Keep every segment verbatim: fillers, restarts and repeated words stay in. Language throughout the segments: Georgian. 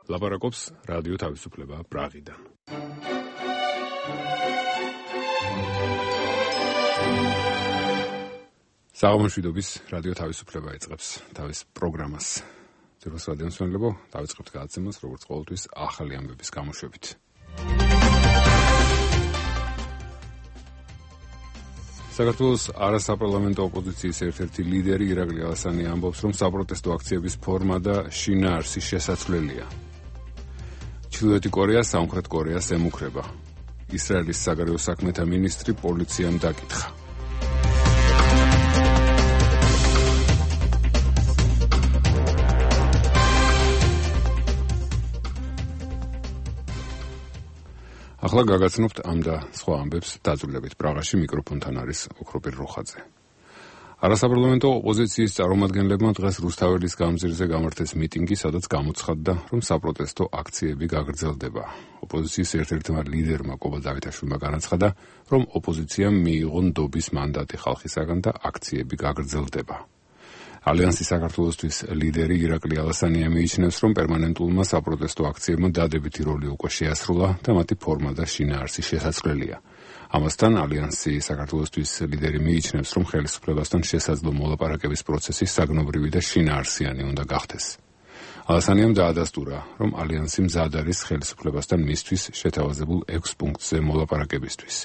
ლაპარაკობს რადიო თავისუფლება პრაღიდან. საღამოშვიდობის რადიო თავისუფლება იწყებს თავის პროგრამას. ძიროს რადიო მსმენელებო, დავიწყებთ გადაცემას, როგორც ყოველთვის, ახალი ამბების გამოშვებით. საქართველოს არასაპარლამენტო ოპოზიციის ერთ-ერთი ლიდერი ირაკლი ალასანი ამბობს, რომ საპროტესტო აქციების ფორმა და შინაარსი შესაძლებელია. ჩრდილოეთი კორეა სამხრეთ კორეას ემუქრება. ისრაელის საგარეო საქმეთა მინისტრი პოლიციამ დაკითხა. ახლა გაგაცნობთ ამ და სხვა ამბებს დაძვრილებით. პრაღაში მიკროფონთან არის ოქროპირ როხაძე. არასაპარლამენტო ოპოზიციის წარმომადგენლებმა დღეს რუსთაველის გამზირზე გამართეს მიტინგი, სადაც გამოცხადდა, რომ საპროტესტო აქციები გაგრძელდება. ოპოზიციის ერთ-ერთმა ლიდერმა კობა დავითაშვილმა განაცხადა, რომ ოპოზიციამ მიიღო ნდობის მანდატი ხალხისაგან და აქციები გაგრძელდება. ალიანსი საქართველოსთვის ლიდერი ირაკლი ალასანია მიიჩნევს, რომ პერმანენტულმა საპროტესტო აქციებმა დადებითი როლი უკვე შეასრულა და მათი ფორმა და შინაარსი შესაძლებელია. ამასთან ალიანსი საქართველოსთვის ლიდერი მიიჩნევს, რომ ხელისუფლებასთან შესაძლო მოლაპარაკების პროცესი საგნობრივი და შინაარსიანი უნდა გახდეს. ალასანიამ დაადასტურა, რომ ალიანსი მზად არის ხელისუფლებასთან მისთვის შეთავაზებულ ექვს პუნქტზე მოლაპარაკებისთვის.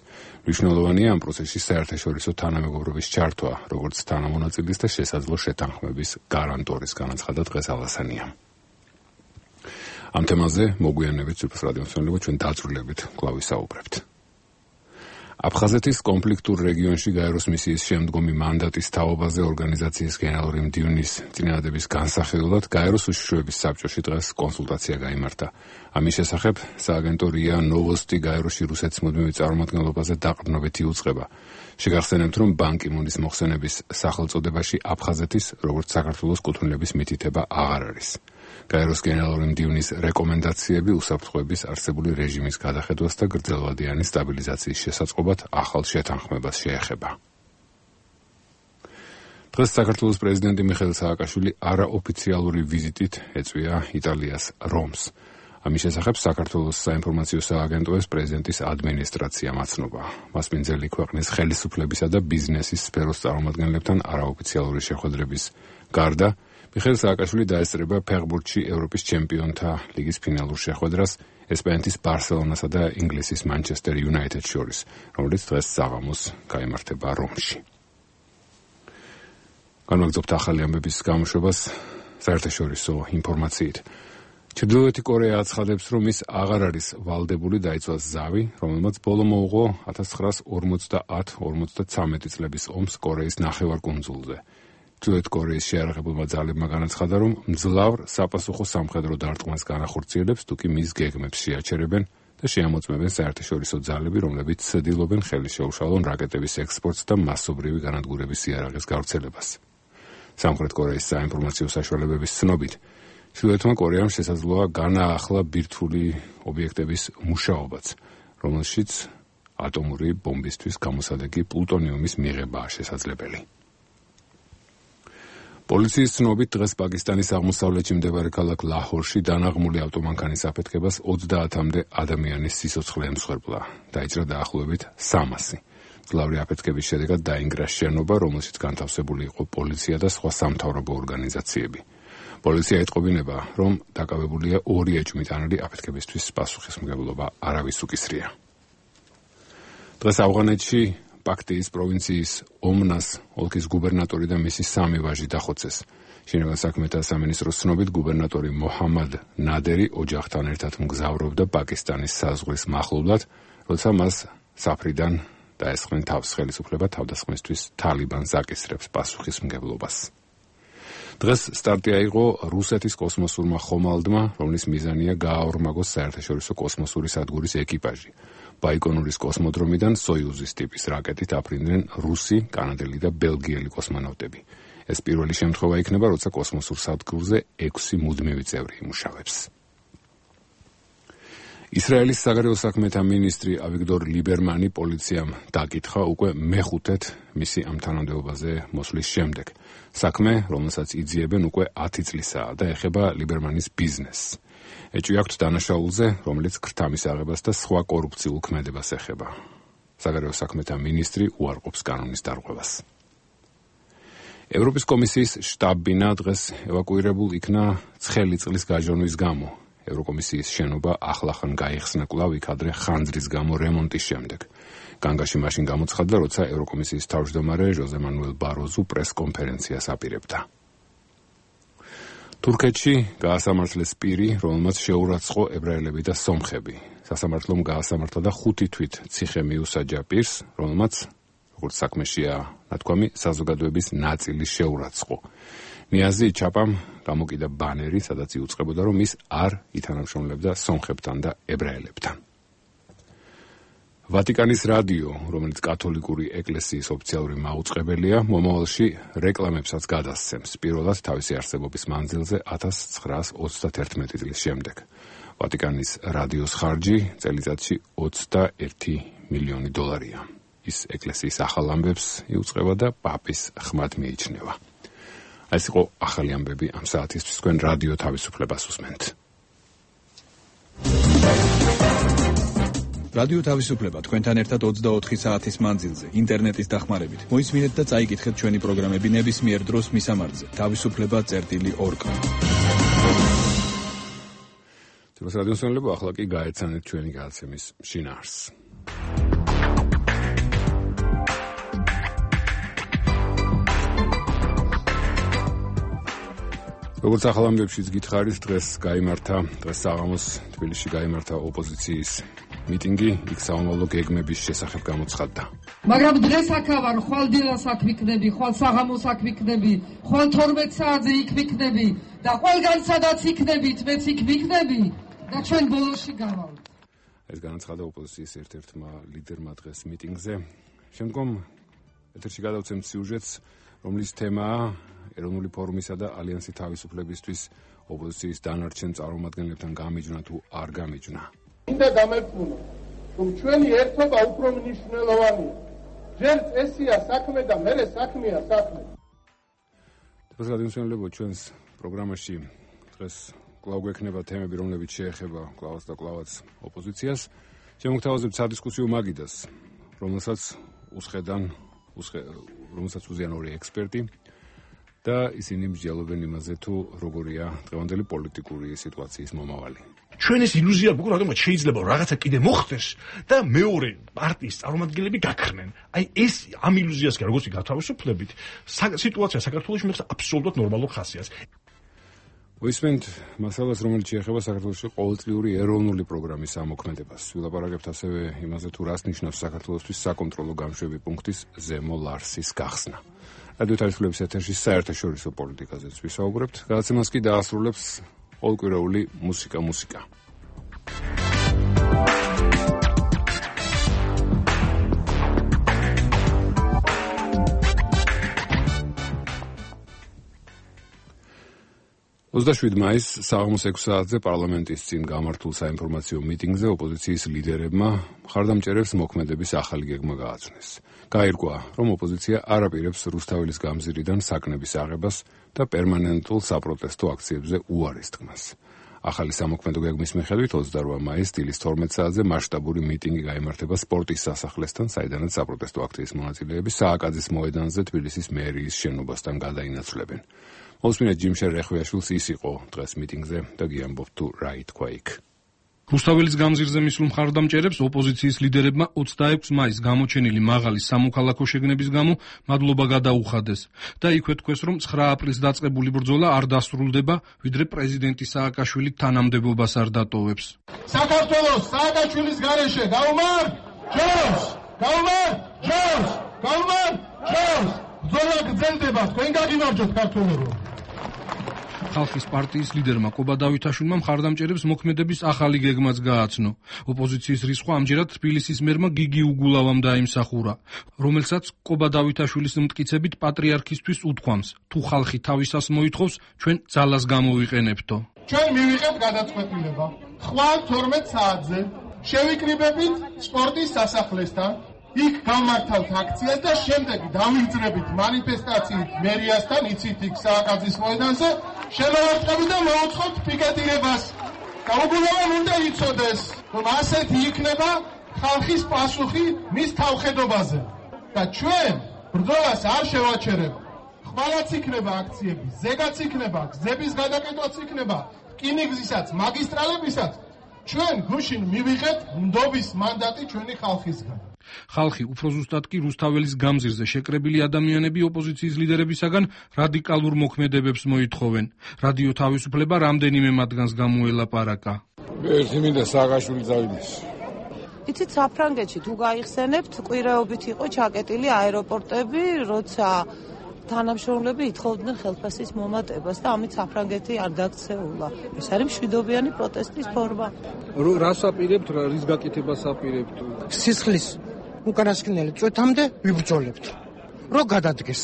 მნიშვნელოვანია ამ პროცესში საერთაშორისო თანამეგობრობის ჩართვა, როგორც თანამონაწილის და შესაძლო შეთანხმების გარანტორის, განაცხადა დღეს ალასანიამ. ამ თემაზე მოგვიანებით ძვირფას რადიო მსმენელებო, ჩვენ დაძვრილებით კვლავ ვისაუბრებთ. აფხაზეთის კონფლიქტურ რეგიონში გაეროს მისიის შემდგომი მანდატის თაობაზე ორგანიზაციის გენერალური მდივნის წინადადების განსახილველად გაეროს უშიშროების საბჭოში დღეს კონსულტაცია გაიმართა. ამის შესახებ სააგენტო რია ნოვოსტი გაეროში რუსეთის მუდმივი წარმომადგენლობაზე დაყრდნობით იუწყება. შეგახსენებთ, რომ ბან კი მუნის მოხსენების სახელწოდებაში აფხაზეთის, როგორც საქართველოს კუთვნილების მითითება აღარ არის. გაეროს გენერალური მდივნის რეკომენდაციები უსაფრთხოების არსებული რეჟიმის გადახედვას და გრძელვადიანი სტაბილიზაციის შესაწყობად ახალ შეთანხმებას შეეხება. დღეს საქართველოს პრეზიდენტი მიხეილ სააკაშვილი არაოფიციალური ვიზიტით ეწვია იტალიას რომს. ამის შესახებ საქართველოს საინფორმაციო სააგენტოებს პრეზიდენტის ადმინისტრაცია მაცნობა. მას მინძელი ქვეყნის ხელისუფლებისა და ბიზნესის სფეროს წარმომადგენლებთან არაოფიციალური შეხვედრების გარდა მიხეილ სააკაშვილი დაესწრება ფეხბურთში ევროპის ჩემპიონთა ლიგის ფინალურ შეხვედრას ესპანეთის ბარსელონასა და ინგლისის მანჩესტერ იუნაიტედს შორის, რომელიც დღეს საღამოს გაიმართება რომში. განვაგრძობთ ახალი ამბების გამოშვებას საერთაშორისო ინფორმაციით. ჩრდილოეთი კორეა აცხადებს, რომ ის აღარ არის ვალდებული დაიცვას ზავი, რომელმაც ბოლო მოუღო ათას ცხრაას ორმოცდაათ ორმოცდაცამეტი წლების ომს კორეის ნახევარკუნძულზე. ჩრდილოეთ კორეის შეიარაღებულმა ძალებმა განაცხადა, რომ მძლავრ საპასუხო სამხედრო დარტყმას განახორციელებს, თუკი მის გეგმებს შეაჩერებენ და შეამოწმებენ საერთაშორისო ძალები, რომლებიც ცდილობენ ხელი შეუშალონ რაკეტების ექსპორტს და მასობრივი განადგურების იარაღის გავრცელებას. სამხრეთ კორეის საინფორმაციო საშუალებების ცნობით, ჩრდილოეთმა კორეამ შესაძლოა განაახლა ბირთვული ობიექტების მუშაობაც, რომელშიც ატომური ბომბისთვის გამოსადეგი პლუტონიუმის მიღებაა შესაძლებელი. პოლიციის ცნობით დღეს პაკისტანის აღმოსავლეთში მდებარე ქალაქ ლაჰორში დანაღმული ავტომანქანის აფეთქებას ოცდაათამდე ადამიანის სიცოცხლე ემსხვერპლა. დაიჭრა დაახლოებით სამასი. მძლავრი აფეთქების შედეგად დაინგრა შენობა, რომელშიც განთავსებული იყო პოლიცია და სხვა სამთავრობო ორგანიზაციები. პოლიცია ეტყობინება, რომ დაკავებულია ორი ეჭვმიტანილი აფეთქებისთვის პასუხისმგებლობა არავის უკისრია. დღეს ავღანეთში პაქტიის პროვინციის ომნას ოლქის გუბერნატორი და მისი სამი ვაჟი დახოცეს. შინაგან საქმეთა სამინისტროს ცნობით, გუბერნატორი მოჰამად ნადერი ოჯახთან ერთად მგზავრობდა პაკისტანის საზღვრის მახლობლად, როცა მას საფრიდან დაესხნენ თავს ხელისუფლება თავდასხმისთვის თალიბანს აკისრებს პასუხისმგებლობას. დღეს სტარტი აიღო რუსეთის კოსმოსურმა ხომალდმა, რომლის მიზანია გააორმაგოს საერთაშორისო კოსმოსური სადგურის ეკიპაჟი. ბაიკონურის კოსმოდრომიდან სოიუზის ტიპის რაკეტით აფრინდნენ რუსი, კანადელი და ბელგიელი კოსმონავტები. ეს პირველი შემთხვევა იქნება, როცა კოსმოსურ სადგურზე ექვსი მუდმივი წევრი იმუშავებს. ისრაელის საგარეო საქმეთა მინისტრი ავიგდორ ლიბერმანი პოლიციამ დაკითხა უკვე მეხუთედ მისი ამ თანამდებობაზე მოსვლის შემდეგ. საქმე, რომელსაც იძიებენ უკვე ათი წლისაა და ეხება ლიბერმანის ბიზნესს. ეჭვი აქვთ დანაშაულზე, რომელიც ქრთამის აღებას და სხვა კორუფციულ ქმედებას ეხება. საგარეო საქმეთა მინისტრი უარყოფს კანონის დარღვევას. ევროპის კომისიის შტაბ-ბინა დღეს ევაკუირებულ იქნა ცხელი წყლის გაჟონვის გამო. ევროკომისიის შენობა ახლახან გაიხსნა კვლავ იქადრე ხანძრის გამო რემონტის შემდეგ. განგაში მაშინ გამოცხადდა, როცა ევროკომისიის თავმჯდომარე ჟოზე მანუელ ბაროზუ პრესკონფერენციას აპირებდა. თურქეთში გაასამართლეს პირი, რომელმაც შეურაცხო ებრაელები და სომხები. სასამართლომ გაასამართლა და ხუთი თვით ციხე მიუსაჯა პირს, რომელმაც, როგორც საქმეშია ნათქვამი, საზოგადოების ნაწილი შეურაცხო. ნიაზი ჩაპამ გამოკიდა ბანერი, სადაც იუწყებოდა, რომ ის არ ითანამშრომლებდა სომხებთან და ებრაელებთან. ვატიკანის რადიო, რომელიც კათოლიკური ეკლესიის ოფიციალური მაუწყებელია, მომავალში რეკლამებსაც გადასცემს, პირველად თავისი არსებობის მანძილზე ათას ცხრაას ოცდაათერთმეტი წლის შემდეგ. ვატიკანის რადიოს ხარჯი წელიწადში ოცდაერთი მილიონი დოლარია. ის ეკლესიის ახალ ამბებს იუწყება და პაპის ხმად მიიჩნევა. ეს იყო ახალი ამბები ამ საათისთვის, თქვენ რადიო თავისუფლებას უსმენთ. რადიო თავისუფლება თქვენთან ერთად ოცდაოთხი საათის მანძილზე, ინტერნეტის დახმარებით. მოისმინეთ და წაიკითხეთ ჩვენი პროგრამები ნებისმიერ დროს მისამართზე. თავისუფლება წერტილი ორგ. თვითონ რადიო მსმენელებო, ახლა კი გაეცანეთ ჩვენი გადაცემის შინაარსს. როგორც ახალ ამბებშიც გითხარით, დღეს გაიმართა, დღეს საღამოს თბილისში გაიმართა ოპოზიციის მიტინგი, იქ საომავლო გეგმების შესახებ გამოცხადდა. მაგრამ დღეს აქ ვარ, ხვალ დილას აქ ვიქნები, ხვალ საღამოს აქ ვიქნები, ხვალ თორმეტ საათზე იქ ვიქნები და ყველგან სადაც იქნებით, მეც იქ ვიქნები და ჩვენ ბოლოში გავალთ. ეს განაცხადა ოპოზიციის ერთ-ერთმა ლიდერმა დღეს მიტინგზე. შემდგომ ეთერში გადავცემთ სიუჟეტს, რომლის თემაა ეროვნული ფორუმისა და ალიანსი თავისუფლებისთვის ოპოზიციის დანარჩენ წარმომადგენლებთან გამიჯნა თუ არ გამიჯნა. მინდა გამეფუნა, რომ ჩვენი ერთობა უფრო მნიშვნელოვანია. ჯერ წესია საქმე და მერე საქმეა საქმე. დღეს გადმოსვენებლებო ჩვენს პროგრამაში დღეს კვლავ გვექნება თემები, რომლებიც შეეხება კვლავაც და კვლავაც ოპოზიციას. შემოგთავაზებთ სადისკუსიო მაგიდას, რომელსაც უსხედან, რომელსაც უზიან ორი ექსპერტი. და ისინი მსჯელობენ იმაზე, თუ როგორია დღევანდელი პოლიტიკური სიტუაციის მომავალი. ჩვენ ეს ილუზია გვაქვს, რადგან შეიძლება რაღაცა კიდე მოხდეს და მეორე პარტიის წარმომადგენლები გაქრნენ. აი ეს ამ ილუზიას კი როგორც გათავისუფლებით, სიტუაცია საქართველოში მიიღწევა აბსოლუტურად ნორმალურ ხასიათს. მოისმენთ მასალას, რომელიც შეეხება საქართველოში ყოველწლიური ეროვნული პროგრამის ამოქმედებას. ვილაპარაკებთ ასევე იმაზე, თუ რას ნიშნავს საქართველოსთვის საკონტროლო გამშვები პუნქტის ზემო ლარსის გახსნა. რადიო თავისუფლების ეთერში საერთაშორისო პოლიტიკაზეც ვისაუბრებთ. გადაცემას კი დაასრულებს ყოველკვირეული მუსიკა მუსიკა. ოცდაშვიდი მაისს საღამოს ექვსი საათზე პარლამენტის წინ გამართულ საინფორმაციო მიტინგზე ოპოზიციის ლიდერებმა მხარდამჭერებს მოქმედების ახალი გეგმა გააცნეს. გაირკვა, რომ ოპოზიცია არ აპირებს რუსთაველის გამზირიდან საკნების აღებას და პერმანენტულ საპროტესტო აქციებზე უარის თქმას. ახალი სამოქმედო გეგმის მიხედვით ოცდარვა მაისს დილის თორმეტ საათზე მასშტაბური მიტინგი გაიმართება სპორტის სასახლესთან, საიდანაც საპროტესტო აქციის მონაწილეები სააკაძის მოედანზე თბილისის მერიის შენობასთან გადაინაცვლებენ. მოსმინეთ ჯიმშერ რეხვიაშვილს, ის იყო დღეს მიტინგზე და გიამბობთ თუ რა ითქვა იქ. რუსთაველის გამზირზე მისულ მხარდამჭერებს ოპოზიციის ლიდერებმა ოცდაექვსი მაისს გამოჩენილი მაღალი სამოქალაქო შეგნების გამო მადლობა გადაუხადეს და იქვე თქვეს, რომ ცხრა აპრილს დაწყებული ბრძოლა არ დასრულდება, ვიდრე პრეზიდენტი სააკაშვილი თანამდებობას არ დატოვებს. საქართველოს სააკაშვილის გარეშე გაუმართ ჯობს! გაუმართ ჯობს! გაუმართ ჯობს! ბრძოლა გრძელდება, თქვენ გაგიმარჯვოთ ქართველებო! ხალხის პარტიის ლიდერმა კობა დავითაშვილმა მხარდამჭერებს მოქმედების ახალი გეგმაც გააცნო. ოპოზიციის რისხვა ამჯერად თბილისის მერმა გიგი უგულავამ დაიმსახურა, რომელსაც კობა დავითაშვილის მტკიცებით პატრიარქისთვის უთქვამს, თუ ხალხი თავისას მოითხოვს, ჩვენ ძალას გამოვიყენებთო. ჩვენ მივიღებთ გადაწყვეტილება. ხვალ თორმეტ საათზე შევიკრიბებით სპორტის სასახლესთან, იქ გამართავთ აქციას და შემდეგ დავიძრებით მანიფესტაციით მერიასთან, იცით იქ სააკაძის მოედანზე, შევავარდებით და მოვუწყობთ პიკეტირებას. გაუგულავამ უნდა იცოდეს, რომ ასეთი იქნება ხალხის პასუხი მის თავხედობაზე და ჩვენ ბრძოლას არ შევაჩერებ. ხვალაც იქნება აქციები, ზეგაც იქნება, გზების გადაკეთვაც იქნება, რკინიგზისაც, მაგისტრალებისაც. ჩვენ გუშინ მივიღეთ ნდობის მანდატი ჩვენი ხალხისგან. ხალხი უფრო ზუსტად კი რუსთაველის გამზირზე შეკრებილი ადამიანები ოპოზიციის ლიდერებისაგან რადიკალურ მოქმედებებს მოითხოვენ. რადიო თავისუფლება რამდენიმე მათგანს გამოელაპარაკა. ერთი მინდა სააკაშვილი წავიდეს. იცით, საფრანგეთში თუ გაიხსენებთ, კვირაობით იყო ჩაკეტილი აეროპორტები, როცა თანამშრომლები ითხოვდნენ ხელფასის მომატებას და ამით საფრანგეთი არ დაქცეულა. ეს არის მშვიდობიანი პროტესტის ფორმა. რას აპირებთ, რის გაკეთებას აპირებთ? სისხლის უკანასკნელი წვეთამდე ვიბრძოლებთ. რო გადადგეს.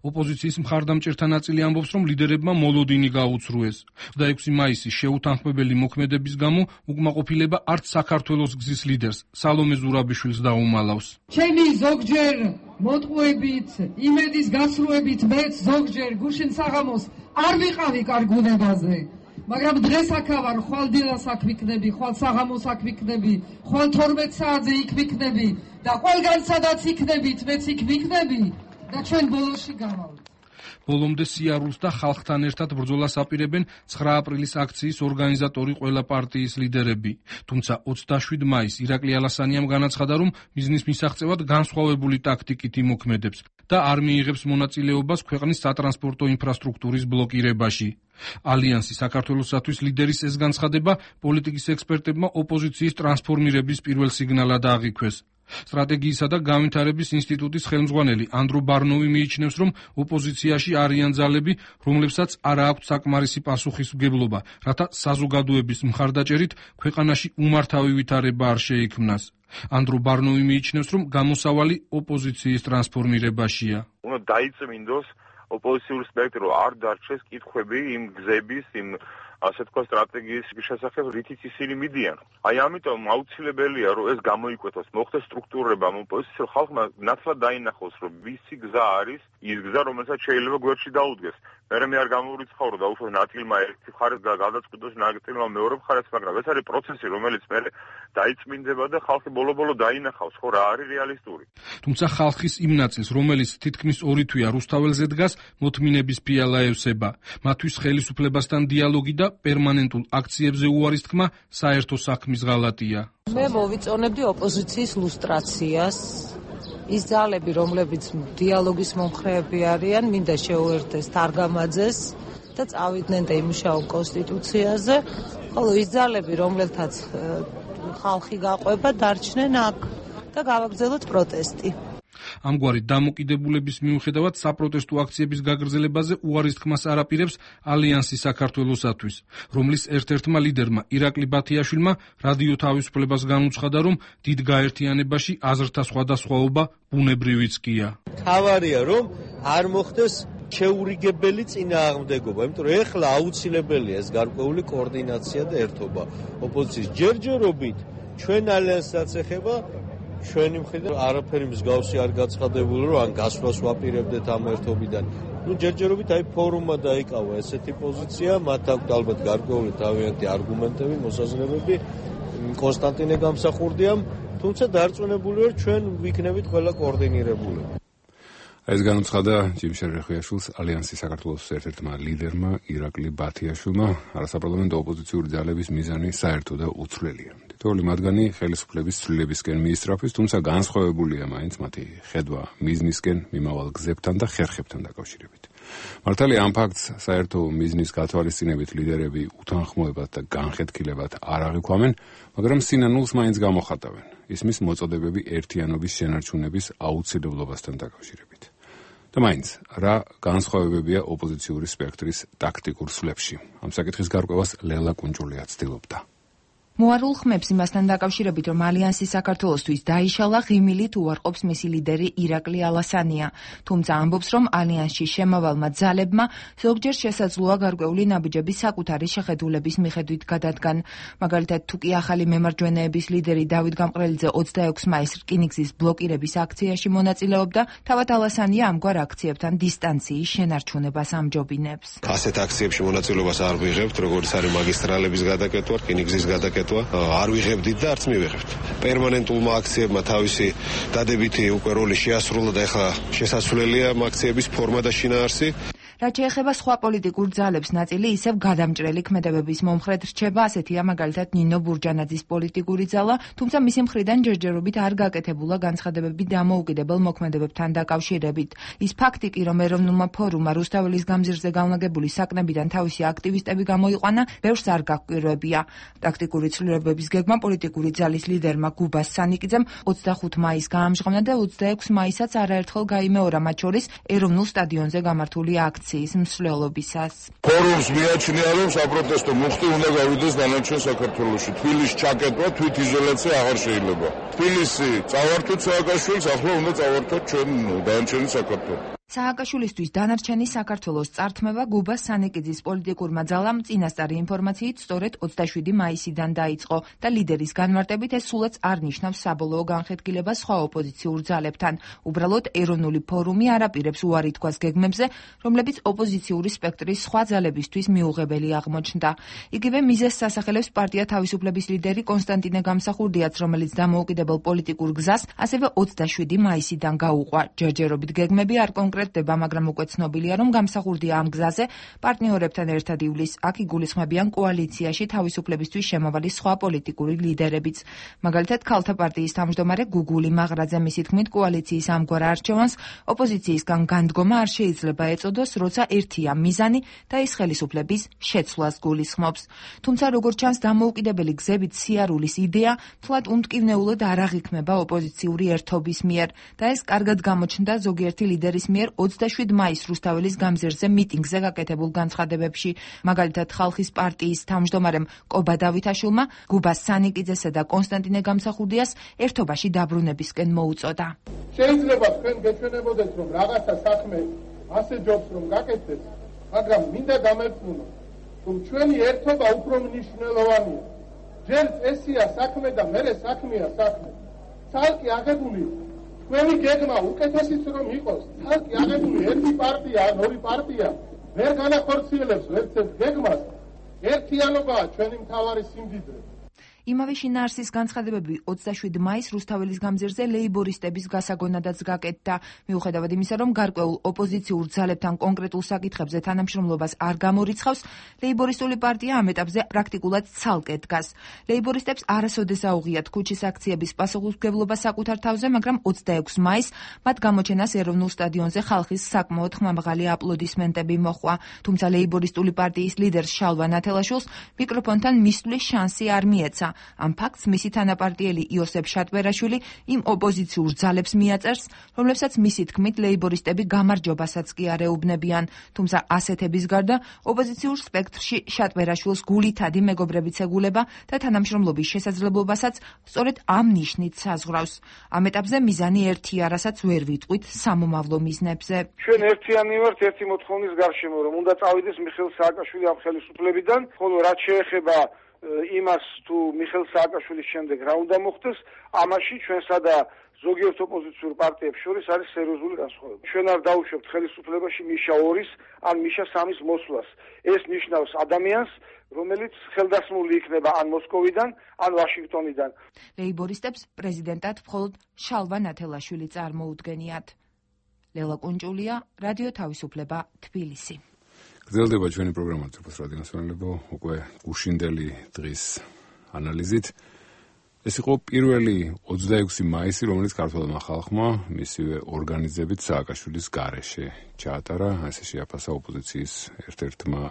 ოპოზიციის მხარდამჭერთა ნაწილი ამბობს, რომ ლიდერებმა მოლოდინი გაუცრუეს. ოცდაექვსი მაისის შეუთანხმებელი მოქმედების გამო უკმაყოფილება არც საქართველოს გზის ლიდერს, სალომე ზურაბიშვილს დაუმალავს. ჩემი ზოგჯერ მოტყუებით, იმედის გასრულებით მეც ზოგჯერ გუშინ საღამოს არ ვიყავი კარგ უნებაზე. მაგრამ დღეს აქ ვარ, ხვალ დილას აქ ვიქნები, ხვალ საღამოს აქ ვიქნები, ხვალ თორმეტ საათზე იქ ვიქნები და ყველგან სადაც იქნებით, მეც იქ ვიქნები და ჩვენ ბოლოში გავალთ. ბოლომდე სიარულს და ხალხთან ერთად ბრძოლას აპირებენ ცხრა აპრილის აქციის ორგანიზატორი ყველა პარტიის ლიდერები. თუმცა ოცდაშვიდ მაისს ირაკლი ალასანიამ განაცხადა, რომ მიზნის მისაღწევად განსხვავებული ტაქტიკით იმოქმედებს და არ მიიღებს მონაწილეობას ქვეყნის სატრანსპორტო ინფრასტრუქტურის ბლოკირებაში. ალიანსი საქართველოსათვის ლიდერის ეს განცხადება პოლიტიკის ექსპერტებმა ოპოზიციის ტრანსფორმირების პირველ სიგნალად აღიქვეს. სტრატეგიისა და განვითარების ინსტიტუტის ხელმძღვანელი ანდრო ბარნოვი მიიჩნევს, რომ ოპოზიციაში არიან ძალები, რომლებსაც არ აქვთ საკმარისი პასუხისმგებლობა, რათა საზოგადოების მხარდაჭერით ქვეყანაში უმართავი ვითარება არ შეიქმნას. ანდრო ბარნოვი მიიჩნევს, რომ გამოსავალი ოპოზიციის ტრანსფორმირებაშია. უნდა დაიწმინდოს ოპოზიციური სპექტრი, არ დარჩეს კითხვები იმ გზების, იმ ასე თქვა სტრატეგიის შესახებ, რითიც ისინი მიდიან. აი ამიტომ აუცილებელია, რომ ეს გამოიკვეთოს, მოხდეს სტრუქტურება, ოპოზიციურ ხალხმა ნაცვლად დაინახოს, რომ ვისი გზა არის ის გზა, რომელსაც შეიძლება გვერდში დაუდგეს. მერე მე არ გამოვრიცხავ, რომ დაუშვათ ნათილმა ერთი მხარეს და გადაწყვიტოს ნათილმა მეორე მხარეს, მაგრამ ეს არის პროცესი, რომელიც მერე დაიწმინდება და ხალხი ბოლო-ბოლო დაინახავს, ხო რა არის რეალისტური. თუმცა ხალხის იმ ნაწილს, რომელიც თითქმის ორი თვეა რუსთაველზე დგას, მოთმინების ფიალა ევსება. მათთვის ხელისუფლებასთან დიალოგი და პერმანენტულ აქციებზე უარის თქმა საერთო საქმის ღალატია. მე მოვიწონებდი ოპოზიციის ლუსტრაციას. ის ძალები, რომლებიც დიალოგის მომხრეები არიან, მინდა შეუერთდეს თარგამაძეს და წავიდნენ და იმუშაონ კონსტიტუციაზე, ხოლო ის ძალები, რომლებთაც ხალხი გაყვება, დარჩნენ აქ და გავაგრძელოთ პროტესტი. ამგვარი დამოკიდებულების მიუხედავად საპროტესტო აქციების გაგრძელებაზე უარის თქმას არ აპირებს ალიანსი საქართველოსათვის, რომლის ერთ-ერთმა ლიდერმა ირაკლი ბათიაშვილმა რადიო თავისუფლებას განუცხადა, რომ დიდ გაერთიანებაში აზრთა სხვადასხვაობა ბუნებრივიც კია. თავარია, რომ არ მოხდეს შეურიგებელი წინააღმდეგობა, იმიტომ რომ ეხლა აუცილებელია ეს გარკვეული კოორდინაცია და ერთობა. ოპოზიციის ჯერჯერობით ჩვენ ალიანსსაც ეხება ჩვენი მხრიდან არაფერი მსგავსი არ გაცხადებული, რომ ან გასვლას ვაპირებდეთ ამ ერთობიდან. ნუ ჯერჯერობით აი ფორუმმა დაიკავა ესეთი პოზიცია, მათ აქვთ ალბათ გარკვეული თავიანთი არგუმენტები, მოსაზრებები, კონსტანტინე გამსახურდიამ, თუმცა დარწმუნებული ვარ, ჩვენ ვიქნებით ყველა კოორდინირებული. ეს განუცხადა ჯიმ შერეხიაშვილს ალიანსის საქართველოს ერთ-ერთმა ლიდერმა ირაკლი ბათიაშვილმა. არასაპარლამენტო ოპოზიციური ძალების მიზანი საერთო და უცვლელია. თითოეული მათგანი ხელისუფლების ცვლილებისკენ მიისწრაფვის, თუმცა განსხვავებულია მაინც მათი ხედვა მიზნისკენ მიმავალ გზებთან და ხერხებთან დაკავშირებით. მართალია ამ ფაქტს საერთო მიზნის გათვალისწინებით ლიდერები უთანხმოებად და განხეთქილებად არ აღიქვამენ, მაგრამ სინანულს მაინც გამოხატავენ. ისმის მოწოდებები ერთიანობის შენარჩუნების აუცილებლობასთან დაკავშირებით. და მაინც, რა განსხვავებებია ოპოზიციური სპექტრის ტაქტიკურ სვლებში? ამ საკითხის გარკვევას ლელა კუნჭულია ცდილობდა. მოარულ ხმებს იმასთან დაკავშირებით, რომ ალიანსი საქართველოსთვის დაიშალა, ღიმილით უარყოფს მისი ლიდერი ირაკლი ალასანია. თუმცა ამბობს, რომ ალიანსში შემავალმა ძალებმა ზოგჯერ შესაძლოა გარკვეული ნაბიჯები საკუთარი შეხედულების მიხედვით გადადგან. მაგალითად, თუ კი ახალი მემარჯვენეების ლიდერი დავით გამყრელიძე ოცდაექვსი მაისს რკინიგზის ბლოკირების აქციაში მონაწილეობდა, თავად ალასანია ამგვარ აქციებთან დისტანციის შენარჩუნებას ამჯობინებს. ასეთ აქციებში მონაწილეობას არ ვიღებთ, როგორც არის მაგისტრალების გადაკეთვა, რკინიგზის გადაკეთვა. არ ვიღებდით და არც მივიღებთ. პერმანენტულმა აქციებმა თავისი დადებითი უკვე როლი შეასრულა და ეხლა შესაძლებელია აქციების ფორმა და შინაარსი. რაც შეეხება სხვა პოლიტიკურ ძალებს, ნაწილი ისევ გადამჭრელი ქმედებების მომხრედ რჩება, ასეთია მაგალითად ნინო ბურჯანაძის პოლიტიკური ძალა, თუმცა მისი მხრიდან ჯერჯერობით არ გაკეთებულა განცხადებები დამოუკიდებელ მოქმედებებთან დაკავშირებით. ის ფაქტი კი, რომ ეროვნულმა ფორუმმა რუსთაველის გამზირზე განლაგებული საკნებიდან თავისი აქტივისტები გამოიყვანა, ბევრს არ გაჰკვირვებია. ტაქტიკური ცვლილებების გეგმა პოლიტიკური ძალის ლიდერმა გუბას სანიკიძემ ოცდახუთი მაისს გაამჟღავნა და ოცდაექვსი მაისსაც არაერთხელ გაიმეორა, მათ შორის ეროვნულ სტადიონზე გამართული აქცია. მსვლელობისას. ფორუმს მიაჩნია, რომ საპროტესტო მუხტი უნდა გავიდეს დანარჩენ საქართველოში. თბილისში ჩაკეტვა, თვითიზოლაცია აღარ შეიძლება. თბილისი წავართვით სააკაშვილს, ახლა უნდა წავართვათ ჩვენ დანარჩენი საქართველო. სააკაშვილისთვის დანარჩენი საქართველოს წართმევა გუბას სანიკიძის პოლიტიკურმა ძალამ წინასწარი ინფორმაციით სწორედ ოცდაშვიდი მაისიდან დაიწყო და ლიდერის განმარტებით ეს სულაც არ ნიშნავს საბოლოო განხეთქილებას სხვა ოპოზიციურ ძალებთან. უბრალოდ ეროვნული ფორუმი არ აპირებს უარი თქვას გეგმებზე, რომლებიც ოპოზიციური სპექტრის სხვა ძალებისთვის მიუღებელი აღმოჩნდა. იგივე მიზეზს ასახელებს პარტია თავისუფლების ლიდერი კონსტანტინე გამსახურდიაც, რომელიც დამოუკიდებელ პოლიტიკურ გზას ასევე ოცდაშვიდი მაისიდან გაუყვა. ჯერჯერობით გეგმები არ კონკრეტდება, მაგრამ უკვე ცნობილია, რომ გამსახურდია ამ გზაზე პარტნიორებთან ერთად ივლის. აქ იგულისხმებიან კოალიციაში თავისუფლებისთვის შემავალი სხვა პოლიტიკური ლიდერებიც. მაგალითად, ქალთა პარტიის თავმჯდომარე გუგული მაღრაძე მისი თქმით, კოალიციის ამგვარ არჩევანს ოპოზიციისგან განდგომა არ შეიძლება ეწოდოს, როცა ერთია მიზანი და ის ხელისუფლების შეცვლას გულისხმობს. თუმცა, როგორც ჩანს, დამოუკიდებელი გზებით სიარულის იდეა თლად უმტკივნეულოდ არ აღიქმება ოპოზიციური ერთობის მიერ და ეს კარგად გამოჩნდა ზოგიერთი ლიდერის მიერ ოცდაშვიდი მაისს რუსთაველის გამზირზე მიტინგზე გაკეთებულ განცხადებებში. მაგალითად, ხალხის პარტიის თავმჯდომარემ კობა დავითაშვილმა გუბას სანიკიძესა და კონსტანტინე გამსახურდიას ერთობაში დაბრუნებისკენ მოუწოდა. შეიძლება თქვენ გეჩვენებოდეთ, რომ რაღაცა საქმე ასე ჯობს, რომ გაკეთდეს, მაგრამ მინდა დამერწმუნო, რომ ჩვენი ერთობა უფრო მნიშვნელოვანია. ჯერ წესია საქმე და მერე საქმეა საქმე. ცალკე აღებული თქვენი გეგმა უკეთესიც რომ იყოს, ცალკე აღებული ერთი პარტია ან ორი პარტია ვერ განახორციელებს ერთ-ერთ გეგმას. ერთიანობაა ჩვენი მთავარი სიმდიდრე. იმავე შინაარსის განცხადებები ოცდაშვიდი მაისს რუსთაველის გამზირზე ლეიბორისტების გასაგონადაც გაკეთდა. მიუხედავად იმისა, რომ გარკვეულ ოპოზიციურ ძალებთან კონკრეტულ საკითხებზე თანამშრომლობას არ გამორიცხავს, ლეიბორისტული პარტია ამ ეტაპზე პრაქტიკულად ცალკე დგას. ლეიბორისტებს არასოდეს აუღიათ ქუჩის აქციების პასუხისმგებლობა საკუთარ თავზე, მაგრამ ოცდაექვსი მაისს მათ გამოჩენას ეროვნულ სტადიონზე ხალხის საკმაოდ ხმამაღალი აპლოდისმენტები მოჰყვა. თუმცა ლეიბორისტული პარტიის ლიდერს შალვა ნათელაშვილს მიკროფონთან მისვლის შანსი არ მიეცა. ამ ფაქტს მისი თანაპარტიელი იოსებ შატბერაშვილი იმ ოპოზიციურ ძალებს მიაწერს, რომლებსაც მისი თქმით ლეიბორისტები გამარჯვებასაც კი არ ეუბნებიან. თუმცა ასეთების გარდა ოპოზიციურ სპექტრში შატბერაშვილს გულითადი მეგობრებიც ეგულება და თანამშრომლობის შესაძლებლობასაც სწორედ ამ ნიშნით საზღვრავს. ამ ეტაპზე მიზანი ერთია, რასაც ვერ ვიტყვით სამომავლო მიზნებზე. ჩვენ ერთიანი ვართ ერთი მოთხოვნის გარშემო, რომ უნდა წავიდეს მიხეილ სააკაშვილი ამ ხელისუფლებიდან, ხოლო რაც შეეხება იმას თუ მიხეილ სააკაშვილის შემდეგ რა უნდა მოხდეს, ამაში ჩვენსა და ზოგიერთ ოპოზიციურ პარტიებს შორის არის სერიოზული განსხვავება. ჩვენ არ დავუშვებთ ხელისუფლებაში მიშა ორის ან მიშა სამის მოსვლას. ეს ნიშნავს ადამიანს, რომელიც ხელდასმული იქნება ან მოსკოვიდან, ან ვაშინგტონიდან. ლეიბორისტებს პრეზიდენტად მხოლოდ შალვა ნათელაშვილი წარმოუდგენიათ. ლელა კუნჭულია, რადიო თავისუფლება, თბილისი. გრძელდება ჩვენი პროგრამა ძრფოს რადიოსმენელებო, უკვე გუშინდელი დღის ანალიზით. ეს იყო პირველი ოცდაექვსი მაისი, რომელიც ქართველმა ხალხმა მისივე ორგანიზებით სააკაშვილის გარეშე ჩაატარა, ასე შეაფასა ოპოზიციის ერთ-ერთმა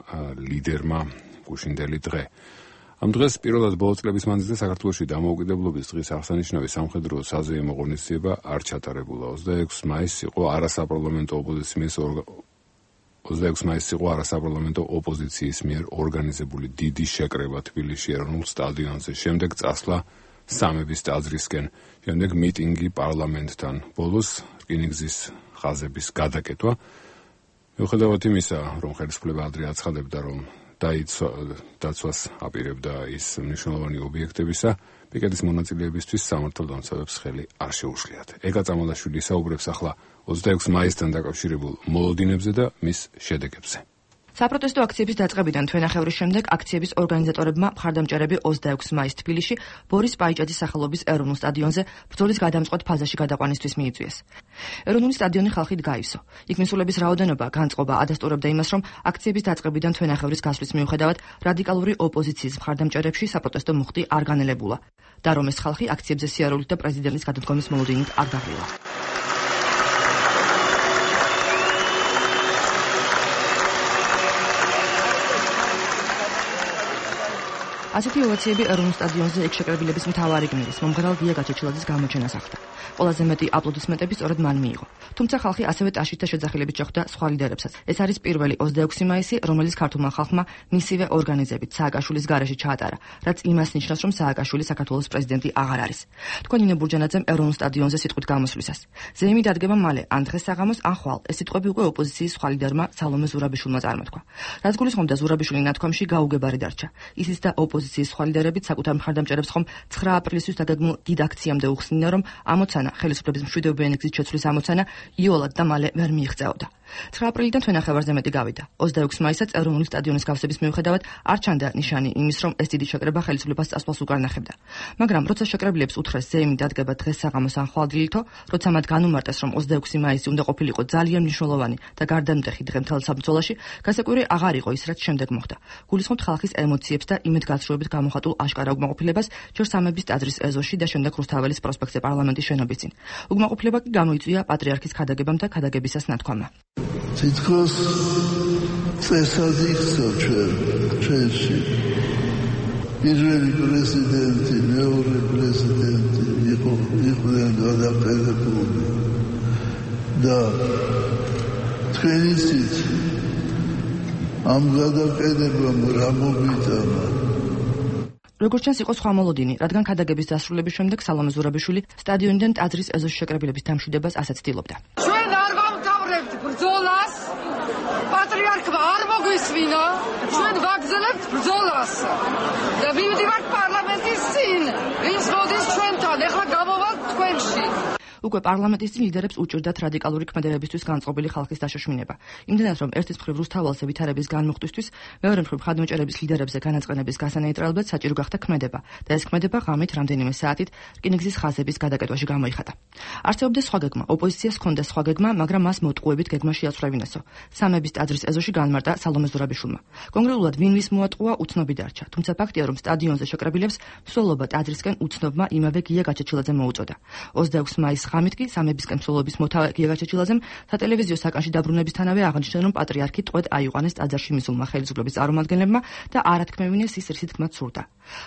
ლიდერმა გუშინდელი დღე. ამ დღეს პირველად ბოლო წლების მანძილზე საქართველოში დამოუკიდებლობის დღის აღსანიშნავი სამხედრო საზეიმო ღონისძიება არ ჩატარებულა. ოცდაექვსი მაისი იყო არასაპარლამენტო ოპოზიციის ოცდაექვსი მაისს იყო არასაპარლამენტო ოპოზიციის მიერ ორგანიზებული დიდი შეკრება თბილისში ეროვნულ სტადიონზე, შემდეგ წასვლა სამების ტაძრისკენ, შემდეგ მიტინგი პარლამენტთან, ბოლოს რკინიგზის ხაზების გადაკეტვა. მიუხედავად იმისა, რომ ხელისუფლება ადრე აცხადებდა, რომ დაცვას აპირებდა ის მნიშვნელოვანი ობიექტებისა, პიკეტის მონაწილეებისთვის სამართალ დამცავებს ხელი არ შეუშლიათ. ეკა წამალაშვილი საუბრებს ახლა ოცდაექვსი მაისთან დაკავშირებულ მოლოდინებზე და მის შედეგებზე. საპროტესტო აქციების დაწყებიდან თვენახევრის შემდეგ აქციების ორგანიზატორებმა მხარდამჭერები ოცდაექვსი მაისს თბილისში ბორის პაიჭაძის სახელობის ეროვნულ სტადიონზე ბრძოლის გადამწყვეტ ფაზაში გადაყვანისთვის მიიწვიეს. ეროვნული სტადიონი ხალხით გაივსო. იქ მისულების რაოდენობა განწყობა ადასტურებდა იმას, რომ აქციების დაწყებიდან თვენახევრის გასვლის მიუხედავად რადიკალური ოპოზიციის მხარდამჭერებში საპროტესტო მუხტი არ განელებულა და რომ ეს ხალხი აქციებზე სიარულით და პრეზიდენტის გადადგომის მოლოდინით არ დაღლილა. ასეთი ოვაციები ეროვნულ სტადიონზე ეგ შეკრებილების მთავარი გმირის მომღერალ გია გაჩეჩილაძის გამოჩენას ახლდა. ყველაზე მეტი აპლოდისმენტები სწორედ მან მიიღო. თუმცა ხალხი ასევე ტაშით და შეძახილებით შეხვდა სხვა ლიდერებსაც. ეს არის პირველი ოცდაექვსი მაისი, რომელიც ქართულმა ხალხმა მისივე ორგანიზებით სააკაშვილის გარეშე ჩაატარა, რაც იმას ნიშნავს, რომ სააკაშვილი საქართველოს პრეზიდენტი აღარ არის. თქვენ ინე ბურჯანაძემ ეროვნულ სტადიონზე სიტყვით გამოსვლისას. ზეიმი დადგება მალე, ან დღეს საღამოს, ან ხვალ. ეს სიტყვები უკვე ოპოზიციის სხვა ლიდერმა სალომე ზურაბიშვილმა წარმოთქვა. რაც გულისხმობდა ზურაბიშვილი ნათქვამში გაუგებარი დარჩა. ისიც და ოპოზიციის სხვა ლიდერებით საკუთარ მხარდამჭერებს ხომ ცხრა აპრილისთვის დაგეგმულ დიდ აქციამდე უხსნიდნენ, რომ ამოცანა ხელისუფლების მშვიდობიანი გზით შეცვლის ამოცანა იოლად და მალე ვერ მიიღწეოდა. ცხრა აპრილიდან თვენახევარზე მეტი გავიდა. ოცდაექვსი მაისსაც ეროვნული სტადიონის გავსების მიუხედავად არ ჩანდა ნიშანი იმის, რომ ეს დიდი შეკრება ხელისუფლებას წასვლას უკან ნახებდა. მაგრამ როცა შეკრებილებს უთხრეს ზეიმი დადგება დღეს საღამოს ან ხვალდილითო, როცა მათ განუმარტეს, რომ ოცდაექვსი მაისი უნდა ყოფილიყო ძალიან მნიშვნელოვანი და გარდამტეხი დღე მთელ საბრძოლოში, გასაკვირი აღარ იყო ის, რაც შემდეგ მოხდა. გულისხმობთ ხალხის ემოციებს და იმედგაცრუებით გამოხატულ აშკარა უკმაყოფილებას ჯერ სამების ტაძრის ეზოში და შემდეგ რუსთაველის პროსპექტზე პარლამენტის შენობის წინ. უკმაყოფილება კი გამოიწვია პატრიარქის ქადაგებამ და ქადაგებისას ნათქვამმა. თითქოს წესად იქცა ჩვენ ჩვენში პირველი პრეზიდენტი, მეორე პრეზიდენტი იყო იყვნენ გადაყენებული და თქვენ იცით ამ გადაყენებამ რა მომიტანა. როგორც ჩანს იყო სხვა მოლოდინი, რადგან ქადაგების დასრულების შემდეგ სალომე ზურაბიშვილი სტადიონიდან ტაძრის ეზოში შეკრებილების დამშვიდებას ასე ცდილობდა. ჩვენ არ ვამთავრებთ ბრძოლას, პატრიარქმა არ მოგვისმინა, ჩვენ ვაგრძელებთ ბრძოლას. და მივდივართ პარლამენტის წინ, ვინც მოდის ჩვენთან, ეხლა გამოვალთ თქვენში. უკვე პარლამენტის წინ ლიდერებს უჭირდათ რადიკალური ქმედებებისთვის განწყობილი ხალხის დაშოშმინება. იმდენად, რომ ერთის მხრივ რუსთაველზე ვითარების განმუხტვისთვის, მეორე მხრივ ხადმოჭერების ლიდერებზე განაწყენების გასანეიტრალებლად საჭირო გახდა ქმედება და ეს ქმედება ღამით რამდენიმე საათით რკინიგზის ხაზების გადაკეტვაში გამოიხატა. არსებობდა სხვა გეგმა, ოპოზიციას ჰქონდა სხვა გეგმა, მაგრამ მას მოტყუებით გეგმა შეაცვლევინასო. სამების ტაძრის ეზოში განმარტა სალომე ზურაბიშვილმა. კონკრეტულად ვინ ვის მოატყუა უცნობი დარჩა, თუმცა ფაქტია, რომ სტადიონზე შეკრებილებს მსვლელობა ტაძრისკენ უცნობმა იმავე გია გაჩეჩილაძემ მოუწოდა. ოცდაექვსი მაისს ღამით კი სამებისკენ მსვლელობის მოთავე გია გაჩეჩილაძემ სატელევიზიო საკანში დაბრუნებისთანავე აღნიშნა, რომ პატრიარქი ტყვედ აიყვანეს ტაძარში მისულმა ხელისუფლების წარმომადგენლებმა და არათქმევინეს ის რისით თქმაც სურდა.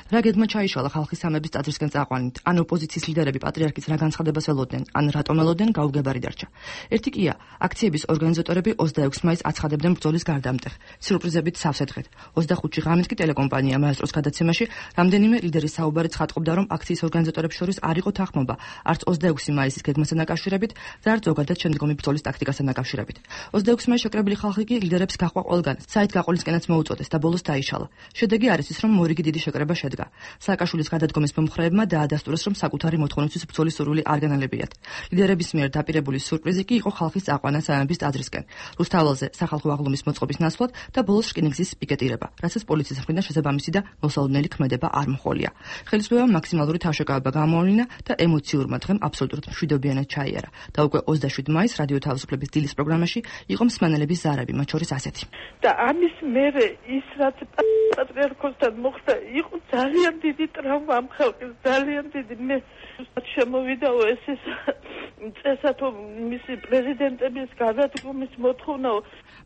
რა გეგმა ჩაიშალა ხალხის სამების ტაძრისკენ წაყვანით, ან ოპოზიციის ლიდერები პატრიარქის რა განცხადებას ველოდნენ, ან რატომ ელოდნენ, გაუგებარი დარჩა. ერთი კია, აქციების ორგანიზატორები ოცდაექვსი მაისს აცხადებდნენ ბრძოლის გარდამტეხ, სიურპრიზებით სავსე დღედ. ოცდახუთში ღამით კი ტელეკომპანია მაესტროს გადაცემაში რამდენიმე ლიდერის საუბარი ცხადყოფდა, რომ აქციის ორგანიზატორებს შორის არ იყო თანხმობა, არც ოცდაექვსი მაისის გეგმასთან დაკავშირებით და არც ზოგადად შემდგომი ბრძოლის ტაქტიკასთან დაკავშირებით. ოცდაექვსი მაისს შეკრებილი ხალხი კი ლიდერებს გაყვა ყველგან, საით გაყოლისკენაც მოუწოდეს და ბოლოს დაიშალა. შედეგი არის ის, რომ მორიგი დიდი შეკრება შედგა. სააკაშვილის გადადგომის მომხრეებმა დაადასტურეს, რომ საკუთარი მოთხოვნისთვის ბრძოლის სურვილი არ განალებიათ. ლიდერების მიერ დაპირებული სიურპრიზი კი იყო ხალხის წაყვანა სამების ტაძრისკენ, რუსთაველზე სახალხო აღლუმის მოწყობის ნაცვლად და ბოლოს რკინიგზის პიკეტირება, რასაც პოლიციის მხრიდან შესაბამისი და მოსალოდნელი ქმედება არ მოჰყოლია. ხელისუფლებამ მაქსიმალური თავშეკავება გამოავლინა და ემოციურმა დღემ აბსოლუტურად მშვიდობიანად ჩაიარა და უკვე ოცდაშვიდი მაისს რადიო თავისუფლების დილის პროგრამაში იყო მსმენელების ზარები, მათ შორის ასეთი. და ამის მერე ის რაც პატრიარქოსთან მოხდა, იყო ძალიან დიდი ტრავმა ამ ხალხის, ძალიან დიდი. მე შემოვიდაო ეს ეს წესათო მისი პრეზიდენტების გადადგომის მოთხოვნაო.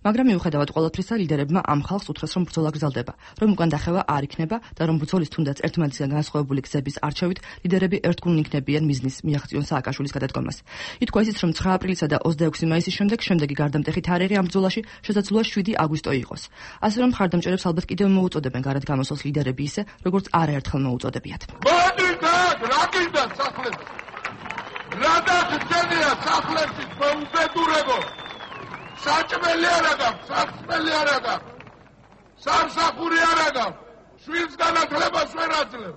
მაგრამ მიუხედავად ყველაფრისა, ლიდერებმა ამ ხალხს უთხრეს, რომ ბრძოლა გრძელდება, რომ უკან დახევა არ იქნება და რომ ბრძოლის თუნდაც ერთმანეთისგან განსხვავებული გზების არჩევით ლიდერები ერთგულნი იქნებიან მიზნის მიაღწიონ სააკაშვილის მის გადადგომას. ითქვა ისიც, რომ ცხრა აპრილისა და ოცდაექვსი მაისის შემდეგ შემდეგი გარდამტეხი თარიღი ამ ბრძოლაში შესაძლოა შვიდი აგვისტო იყოს. ასე რომ მხარდამჭერებს ალბათ კიდევ მოუწოდებენ გარეთ გამოსვლას ლიდერები ისე, როგორც არაერთხელ მოუწოდებიათ. მოდით, რა გინდა სახლებში? რა დაგჭირია სახლებში მოუბედურებო? საჭმელი არა გაქვს, საჭმელი არა გაქვს. სამსახური არა გაქვს. შვილს განათლებას ვერ აძლევ.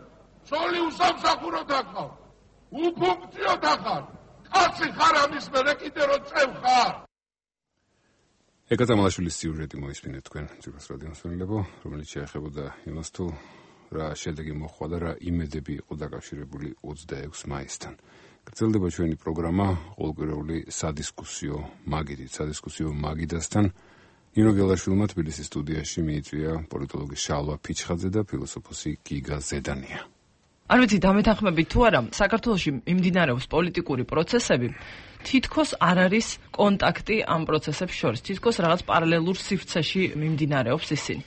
ცოლი უსამსახუროდ ახავ. უფუნქციოდ ახარ. კაცი ხარ ამის მერე კიდე რო წევ ხარ. ეკა წამალაშვილის სიუჟეტი მოისმინეთ თქვენ ძირფას რადიოს მსმენელებო, რომელიც შეეხებოდა იმას თუ რა შედეგი მოხდა და რა იმედები იყო დაკავშირებული ოცდაექვსი მაისთან. გრძელდება ჩვენი პროგრამა ყოველკვირეული სადისკუსიო მაგიდით, სადისკუსიო მაგიდასთან. ნინო გელაშვილმა თბილისის სტუდიაში მიიწვია პოლიტოლოგი შალვა ფიჩხაძე და ფილოსოფოსი გიგა ზედანია. არ ვიცი, დამეთანხმებით თუ არა, საქართველოში მიმდინარეობს პოლიტიკური პროცესები, თითქოს არ არის კონტაქტი ამ პროცესებს შორის, თითქოს რაღაც პარალელურ სივრცეში მიმდინარეობს ისინი.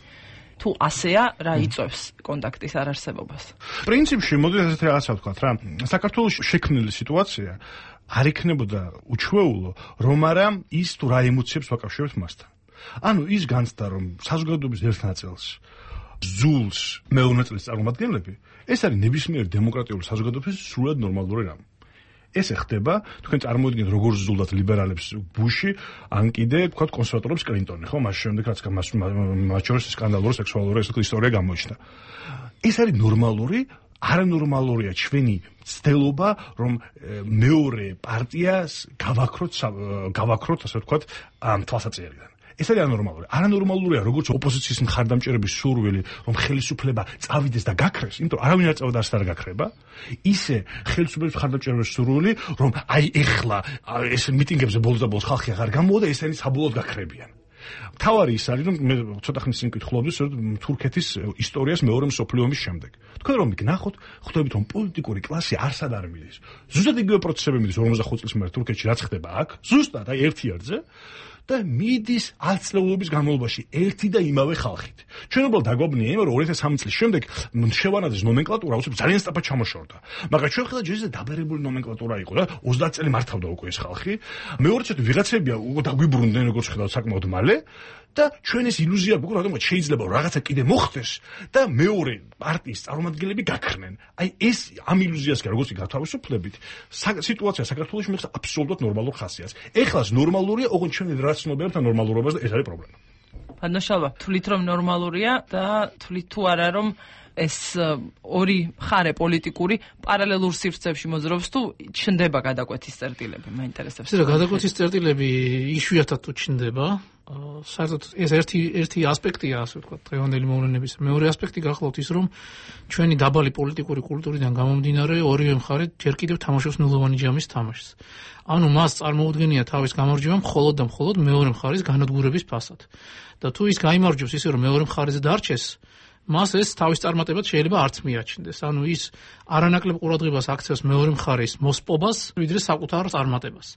თუ ასეა, რა იწვევს კონტაქტის არარსებობას? პრინციპში მოდით ასეთ რაღაცა ვთქვათ რა, საქართველოში შექმნილი სიტუაცია არ იქნებოდა უჩვეულო, რომ არა ის თუ რა ემოციებს ვაკავშირებთ მასთან. ანუ ის განცდა, რომ საზოგადოების ერთ ნაწილს ზულს მეორე ნაწილის წარმომადგენლები, ეს არის ნებისმიერ დემოკრატიული საზოგადოების სრულად ნორმალური რამ. ეს ხდება, თქვენ წარმოიდგინეთ როგორ ზულდათ ლიბერალებს ბუში, ან კიდე თქვათ კონსერვატორებს კლინტონი, ხო, მას შემდეგ რაც მათ შორის სკანდალური სექსუალური ისტორია გამოჩნდა. ეს არის ნორმალური, არანორმალურია ჩვენი ცდელობა, რომ მეორე პარტიას გავაქროთ, გავაქროთ, ასე ვთქვათ, ამ თვალსაჩინარიდან. ეს არის ანორმალური. არანორმალურია როგორც ოპოზიციის მხარდამჭერების სურვილი, რომ ხელისუფლება წავიდეს და გაქრეს, იმიტომ არავინ არ წავდა, არც არ გაქრება. ისე ხელისუფლების მხარდამჭერების სურვილი, რომ აი ეხლა ეს მიტინგებზე ბოლოს და ბოლოს ხალხი აღარ გამოვიდა, ესენი საბოლოოდ გაქრებიან. თავარი ის არის, რომ მე ცოტა ხნის წინ ვკითხულობდი თურქეთის ისტორიას მეორე მსოფლიო ომის შემდეგ. თქვენ რომ გნახოთ, ხვდებით რომ პოლიტიკური კლასი არსად არ მიდის. ზუსტად იგივე პროცესები მიდის ორმოცდახუთ წლის მერე თურქეთში რაც ხდება აქ, ზუსტად აი ერთი ერთზე. და მიდის ათწლეულობის განმავლობაში ერთი და იმავე ხალხით. ჩვენ უბრალოდ დაგვაბნია იმ, რომ ორი ათას სამი წლის შემდეგ შევანაძის ნომენკლატურა უცებ ძალიან სწრაფად ჩამოშორდა. მაგრამ ჩვენ ხედავთ, რომ ეს დაბერებული ნომენკლატურა იყო და ოცდაათი წელი მართავდა უკვე ეს ხალხი. მეორეც ვიღაცები დაგვიბრუნდნენ როგორც ხედავთ საკმაოდ მალე. და ჩვენ ეს ილუზია გვაქვს, რომ შეიძლება რაღაცა კიდე მოხდეს და მეორე პარტიის წარმომადგენლები გაქრნენ. აი ეს ამ ილუზიას კი როგორც გათავისუფლებით, სიტუაცია საქართველოში მეხსა აბსოლუტურად ნორმალურ ხასიათს. ეხლას ნორმალურია, ოღონდ ჩვენ რაც ცნობიერებთ ნორმალურობას და ეს არის პრობლემა. ბანაშალვა, თვლით რომ ნორმალურია და თვლით თუ არა რომ ეს ორი მხარე პოლიტიკური პარალელურ სივრცეებში მოძრაობს თუ ჩნდება გადაკვეთის წერტილები, მაინტერესებს. ეს რა გადაკვეთის წერტილები იშვიათად თუ ჩნდება, საერთოდ ეს ერთი ერთი ასპექტია, ასე ვთქვათ, დღევანდელი მოვლენების. მეორე ასპექტი გახლავთ ის, რომ ჩვენი დაბალი პოლიტიკური კულტურიდან გამომდინარე ორივე მხარე ჯერ კიდევ თამაშობს ნულოვანი ჯამის თამაშს. ანუ მას წარმოუდგენია თავის გამარჯვება მხოლოდ და მხოლოდ მეორე მხარის განადგურების ფასად. და თუ ის გაიმარჯვებს ისე რომ მეორე მხარეზე დარჩეს, მას ეს თავის წარმატებად შეიძლება არც მიაჩნდეს. ანუ ის არანაკლებ ყურადღებას აქცევს მეორე მხარის მოსპობას, ვიდრე საკუთარ წარმატებას.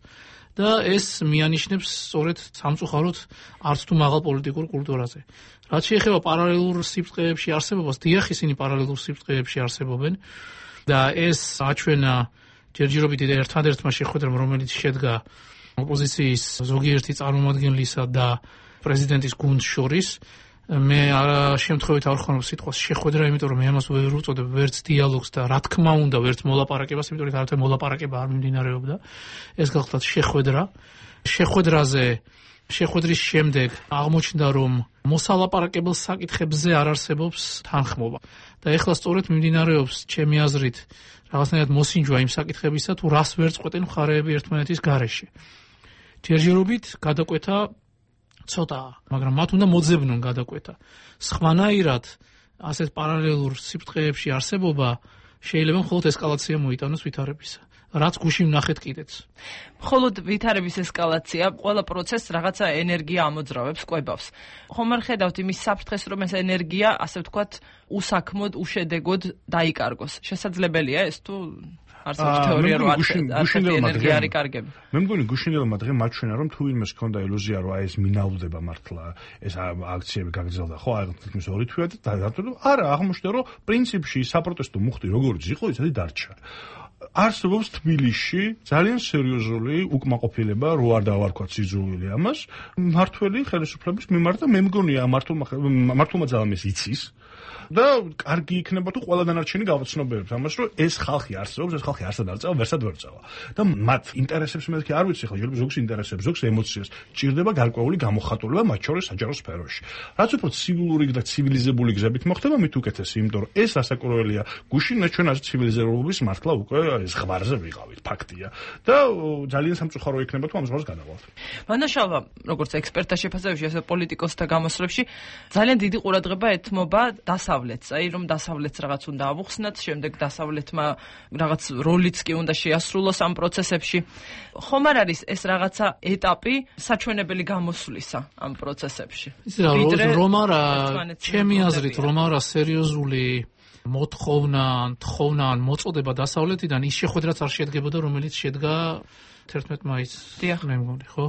და ეს მიანიშნებს სწორედ სამწუხაროდ არც თუ მაღალ პოლიტიკურ კულტურაზე. რაც შეეხება პარალელურ სიბრტყეებში არსებობას, დიახ, ისინი პარალელურ სიბრტყეებში არსებობენ და ეს აჩვენა ჯერჯერობით ერთადერთმა შეხვედრამ, რომელიც შედგა ოპოზიციის ზოგიერთი წარმომადგენლისა და პრეზიდენტის გუნდს შორის. მე შემთხვევით არ ხონებ სიტყვას შეხვედრა, იმიტომ რომ მე ამას ვერ უწოდებ ვერც დიალოგს და რა თქმა უნდა ვერც მოლაპარაკებას, იმიტომ რომ არათუ მოლაპარაკება არ მიმდინარეობდა. ეს გახლავთ შეხვედრა. შეხვედრაზე შეხვედრის შემდეგ აღმოჩნდა, რომ მოსალაპარაკებელ საკითხებზე არ არსებობს თანხმობა. და ეხლა სწორედ მიმდინარეობს ჩემი აზრით რაღაცნაირად მოსინჯვა იმ საკითხებისა, თუ რას ვერ წყვეტენ მხარეები ერთმანეთის გარეშე. ჯერჯერობით გადაკვეთა ცოტაა, მაგრამ მათ უნდა მოძებნონ გადაკვეთა. სხვანაირად ასეთ პარალელურ სიბრტყეებში არსებობა შეიძლება მხოლოდ ესკალაცია მოიტანოს ვითარებისა. რაც გუში ვნახეთ კიდეც. მხოლოდ ვითარების ესკალაცია, ყველა პროცესს რაღაცა ენერგია ამოძრავებს, კვებავს. ხომ არ ხედავთ იმის საფრთხეს, რომ ეს ენერგია, ასე ვთქვათ, უსაქმოდ, უშედეგოდ დაიკარგოს. შესაძლებელია ეს თუ არსებობს თეორია, რომ ასეთი ენერგია არის კარგები. მე მგონი გუშინდელმა დღემ მაჩვენა, რომ თუ ვინმეს ჰქონდა ილუზია, რომ აი ეს მინავდება მართლა, ეს აქციები გაგრძელდა, ხო, აი თითქმის ორი თვეა და დადო, არა, აღმოჩნდა, რომ პრინციპში საპროტესტო მუხტი როგორც იყო, ისეთი დარჩა. არსებობს თბილისში ძალიან სერიოზული უკმაყოფილება, რო არ დავარქვათ სიძულვილი ამას, მმართველი ხელისუფლების მიმართ და მე მგონია მართლმა მართლმა ძალამის იცის და კარგი იქნება თუ ყველა დანარჩენი გავაცნობიერებთ ამას, რომ ეს ხალხი არსებობს, ეს ხალხი არსად არ წავა, ვერსად ვერ წავა. და მათ ინტერესებს მე თქვი არ ვიცი ხო, შეიძლება ზოგს ინტერესებს, ზოგს ემოციას, ჭირდება გარკვეული გამოხატულება მათ შორის საჯარო სფეროში. რაც უფრო ცივილური და ცივილიზებული გზებით მოხდება, მით უკეთესი, იმიტომ რომ ეს ასაკურველია გუშინ ჩვენ ასე ცივილიზებების მართლა უკვე ეს ღვარზე ვიყავით, ფაქტია. და ძალიან სამწუხარო იქნება თუ ამ ზღვარს გადავალთ. მანაშალვა, როგორც ექსპერტთა შეფასებაში, ასე პოლიტიკოსთა გამოსვლებში ძალიან დიდი ყურადღება ეთმობა დასავლეთს, აი რომ დასავლეთს რაღაც უნდა ავუხსნათ, შემდეგ დასავლეთმა რაღაც როლიც კი უნდა შეასრულოს ამ პროცესებში. ხომ არ არის ეს რაღაცა ეტაპი საჩვენებელი გამოსვლისა ამ პროცესებში? რომ არა, ჩემი აზრით, რომ არა სერიოზული მოთხოვნა, თხოვნა ან მოწოდება დასავლეთიდან ის შეხვედრაც არ შედგებოდა, რომელიც შედგა თერთმეტ მაისს, მე მგონი, ხო?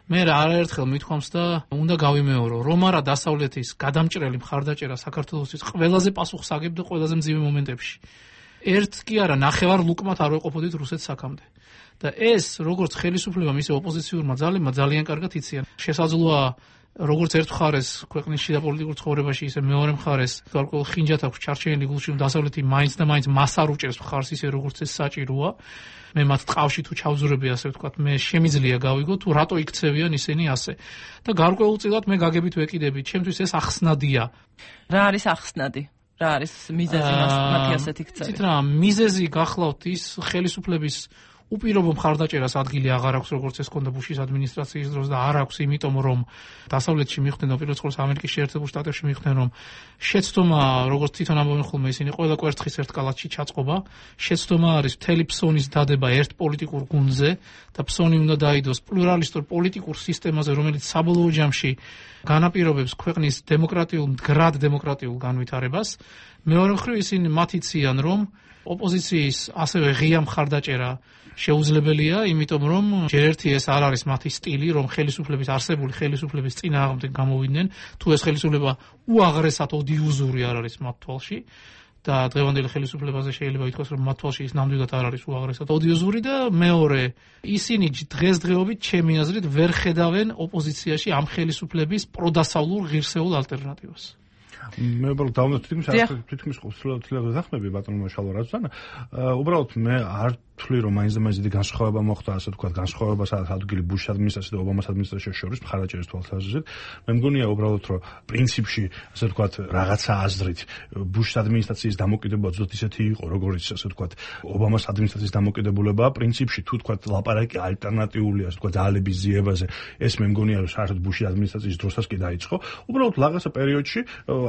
მე არაერთხელ მithქვამს და უნდა გავიმეორო, რომ არა დასავლეთის გადამჭრელი მხარდაჭერა საქართველოსთვის ყველაზე პასუხსაგებ და ყველაზე მძიმე მომენტებში. ერთ კი არა, ნახევარ ლუკმად არ ვეყოფოდით რუსეთს აქამდე. და ეს, როგორც ხელისუფლებამ, ისე ოპოზიციურმა ძალებმა ძალიან კარგად იციან. შესაძლოა როგორც ერთ მხარეს ქვეყნის შიდა პოლიტიკურ ცხოვრებაში, ისე მეორე მხარეს გარკვეულ ხინჯად აქვს ჩარჩენილი გულში, რომ დასავლეთი მაინც და მაინც მას არ უჭერს მხარს ისე როგორც ეს საჭიროა. მე მათ ტყავში თუ ჩავზურები, ასე ვთქვათ, მე შემიძლია გავიგო თუ რატო იქცევიან ისინი ასე. და გარკვეულწილად მე გაგებით ვეკიდები, ჩემთვის ეს ახსნადია. რა არის ახსნადი? რა არის მიზეზი მათი ასეთი ქცევი? ცით რა, მიზეზი გახლავთ ის ხელისუფლების უპირობო მხარდაჭერას ადგილი აღარ აქვს, როგორც ეს ქონდა ბუშის ადმინისტრაციის დროს და არ აქვს, იმიტომ რომ დასავლეთში მიხვდნენ, უპირველეს ყოვლისა ამერიკის შეერთებულ შტატებში მიხვდნენ, რომ შეცდომა, როგორც თვითონ ამბობენ ხოლმე ისინი, ყველა კვერცხის ერთ კალათში ჩაწყობა, შეცდომა არის მთელი ფსონის დადება ერთ პოლიტიკურ გუნდზე და ფსონი უნდა დაიდოს პლურალისტურ პოლიტიკურ სისტემაზე, რომელიც საბოლოო ჯამში განაპირობებს ქვეყნის დემოკრატიულ, მდგრად დემოკრატიულ განვითარებას. მეორე მხრივ ისინი მათ იციან, რომ ოპოზიციის ასევე ღია მხარდაჭერა შეუძლებელია, იმიტომ რომ ჯერ ერთი ეს არ არის მათი სტილი, რომ ხელისუფლების არსებული ხელისუფლების წინააღმდეგ გამოვიდნენ, თუ ეს ხელისუფლება უაღრესად ოდიოზური არ არის მათ თვალში და დღევანდელი ხელისუფლებაზე შეიძლება ითქვას, რომ მათ თვალში ის ნამდვილად არ არის უაღრესად ოდიოზური და მეორე, ისინი დღესდღეობით ჩემი აზრით ვერ ხედავენ ოპოზიციაში ამ ხელისუფლების პროდასავლურ ღირსეულ ალტერნატივას. მე უბრალოდ დავუნა თითქმის თითქმის ხუთი ზახმები ბატონმა შალვარაძესთან. უბრალოდ მე არ თვლი რომ მაინც და მაინც დიდი განსხვავება მოხდა, ასე ვთქვათ, განსხვავება სადაც ადგილი ბუშის ადმინისტრაციას და ობამას ადმინისტრაციას შორის მხარდაჭერის თვალსაზრისით. მე მგონია უბრალოდ რომ პრინციპში, ასე ვთქვათ, რაღაცა აზრით ბუშის ადმინისტრაციის დამოკიდებულება ზუსტად ისეთი იყო, როგორც ასე ვთქვათ, ობამას ადმინისტრაციის დამოკიდებულება, პრინციპში თუ ვთქვათ, ლაპარაკი ალტერნატიული, ასე ვთქვათ, ძალების ძიებაზე, ეს მე მგონია რომ საერთოდ ბუშის ადმინისტრაციის დროსაც კი დაიწყო. უბრალოდ რაღაცა პერიოდში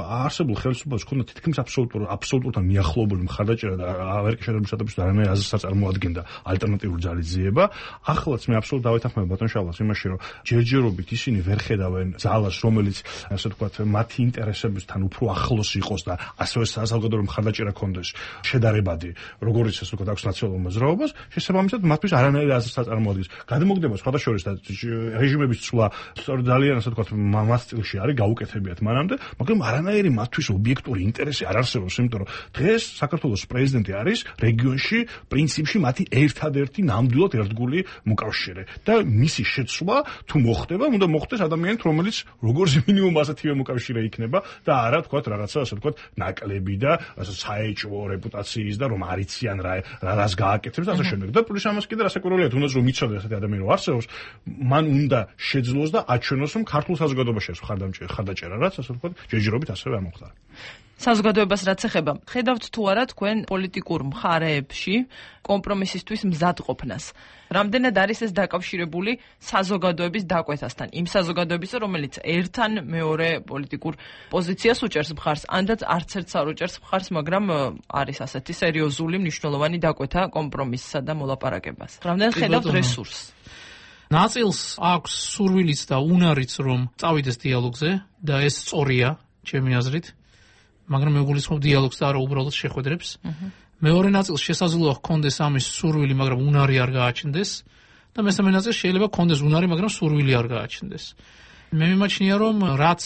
არსებულ ხელისუფლებას ჰქონდა თითქმის აბსოლუტურ აბსოლუტურად მიახლოებული მხარდაჭერა და ამერიკის შეერთებულ შტატებში არანაირ აზრს არ წარმოადგენდა ალტერნატიული ძალის ძიება. ახლაც მე აბსოლუტურად დავეთანხმებ ბატონ შალვას იმაში, რომ ჯერჯერობით ისინი ვერ ხედავენ ძალას, რომელიც ასე ვთქვათ, მათი ინტერესებთან უფრო ახლოს იყოს და ასევე საზოგადოებრივ მხარდაჭერა ქონდეს შედარებადი, როგორც ასე ვთქვათ, აქვს ნაციონალურ მოძრაობას, შესაბამისად მათთვის არანაირ აზრს არ წარმოადგენს. გადმოგდება სხვადასხვა და რეჟიმების ცვლა ძალიან ასე ვთქვათ, მას სტილში არის გაუკეთებიათ მანამდე, მაგრამ არანაირი მათთვის ობიექტური ინტერესი არ არსებობს, იმიტომ რომ დღეს საქართველოს პრეზიდენტი არის რეგიონში პრინციპში მათი ერთადერთი ნამდვილად ერთგული მოკავშირე და მისი შეცვლა თუ მოხდება, უნდა მოხდეს ადამიანით, რომელიც როგორც მინიმუმ ასეთივე მოკავშირე იქნება და არა თქვათ რაღაცა ასე ვთქვათ ნაკლები და საეჭვო რეპუტაციის და რომ არიციან რა რას გააკეთებს და ასე შემდეგ. და პლუს ამას კიდე რასაკვირველია, თუნდაც რომ მიცოდეს ასეთი ადამიანი რომ არსებობს, მან უნდა შეძლოს და აჩვენოს, რომ ქართულ საზოგადოებაში ეს ხარდაჭერა, რაც ასე ვთქვათ, ჯერჯერობით ასევე ამოხდა. საზოგადოებას რაც ეხება, ხედავთ თუ არა თქვენ პოლიტიკურ მხარეებში კომპრომისისთვის მზადყოფნას? რამდენად არის ეს დაკავშირებული საზოგადოების დაკვეთასთან? იმ საზოგადოების, რომელიც ერთთან მეორე პოლიტიკურ პოზიციას უჭერს მხარს, ანდაც არც ერთს არ უჭერს მხარს, მაგრამ არის ასეთი სერიოზული მნიშვნელოვანი დაკვეთა კომპრომისსა და მოლაპარაკებას. რამდენად ხედავთ რესურსს? ნაწილს აქვს სურვილიც და უნარიც, რომ წავიდეს დიალოგზე და ეს სწორია, ჩემი აზრით. მაგრამ მე გულისხმობ დიალოგს და არა უბრალოდ შეხვედრებს. მეორე ნაწილს შესაძლოა ჰქონდეს ამის სურვილი, მაგრამ უნარი არ გააჩნდეს და მესამე ნაწილს შეიძლება ჰქონდეს უნარი, მაგრამ სურვილი არ გააჩნდეს. მე მიმაჩნია, რომ რაც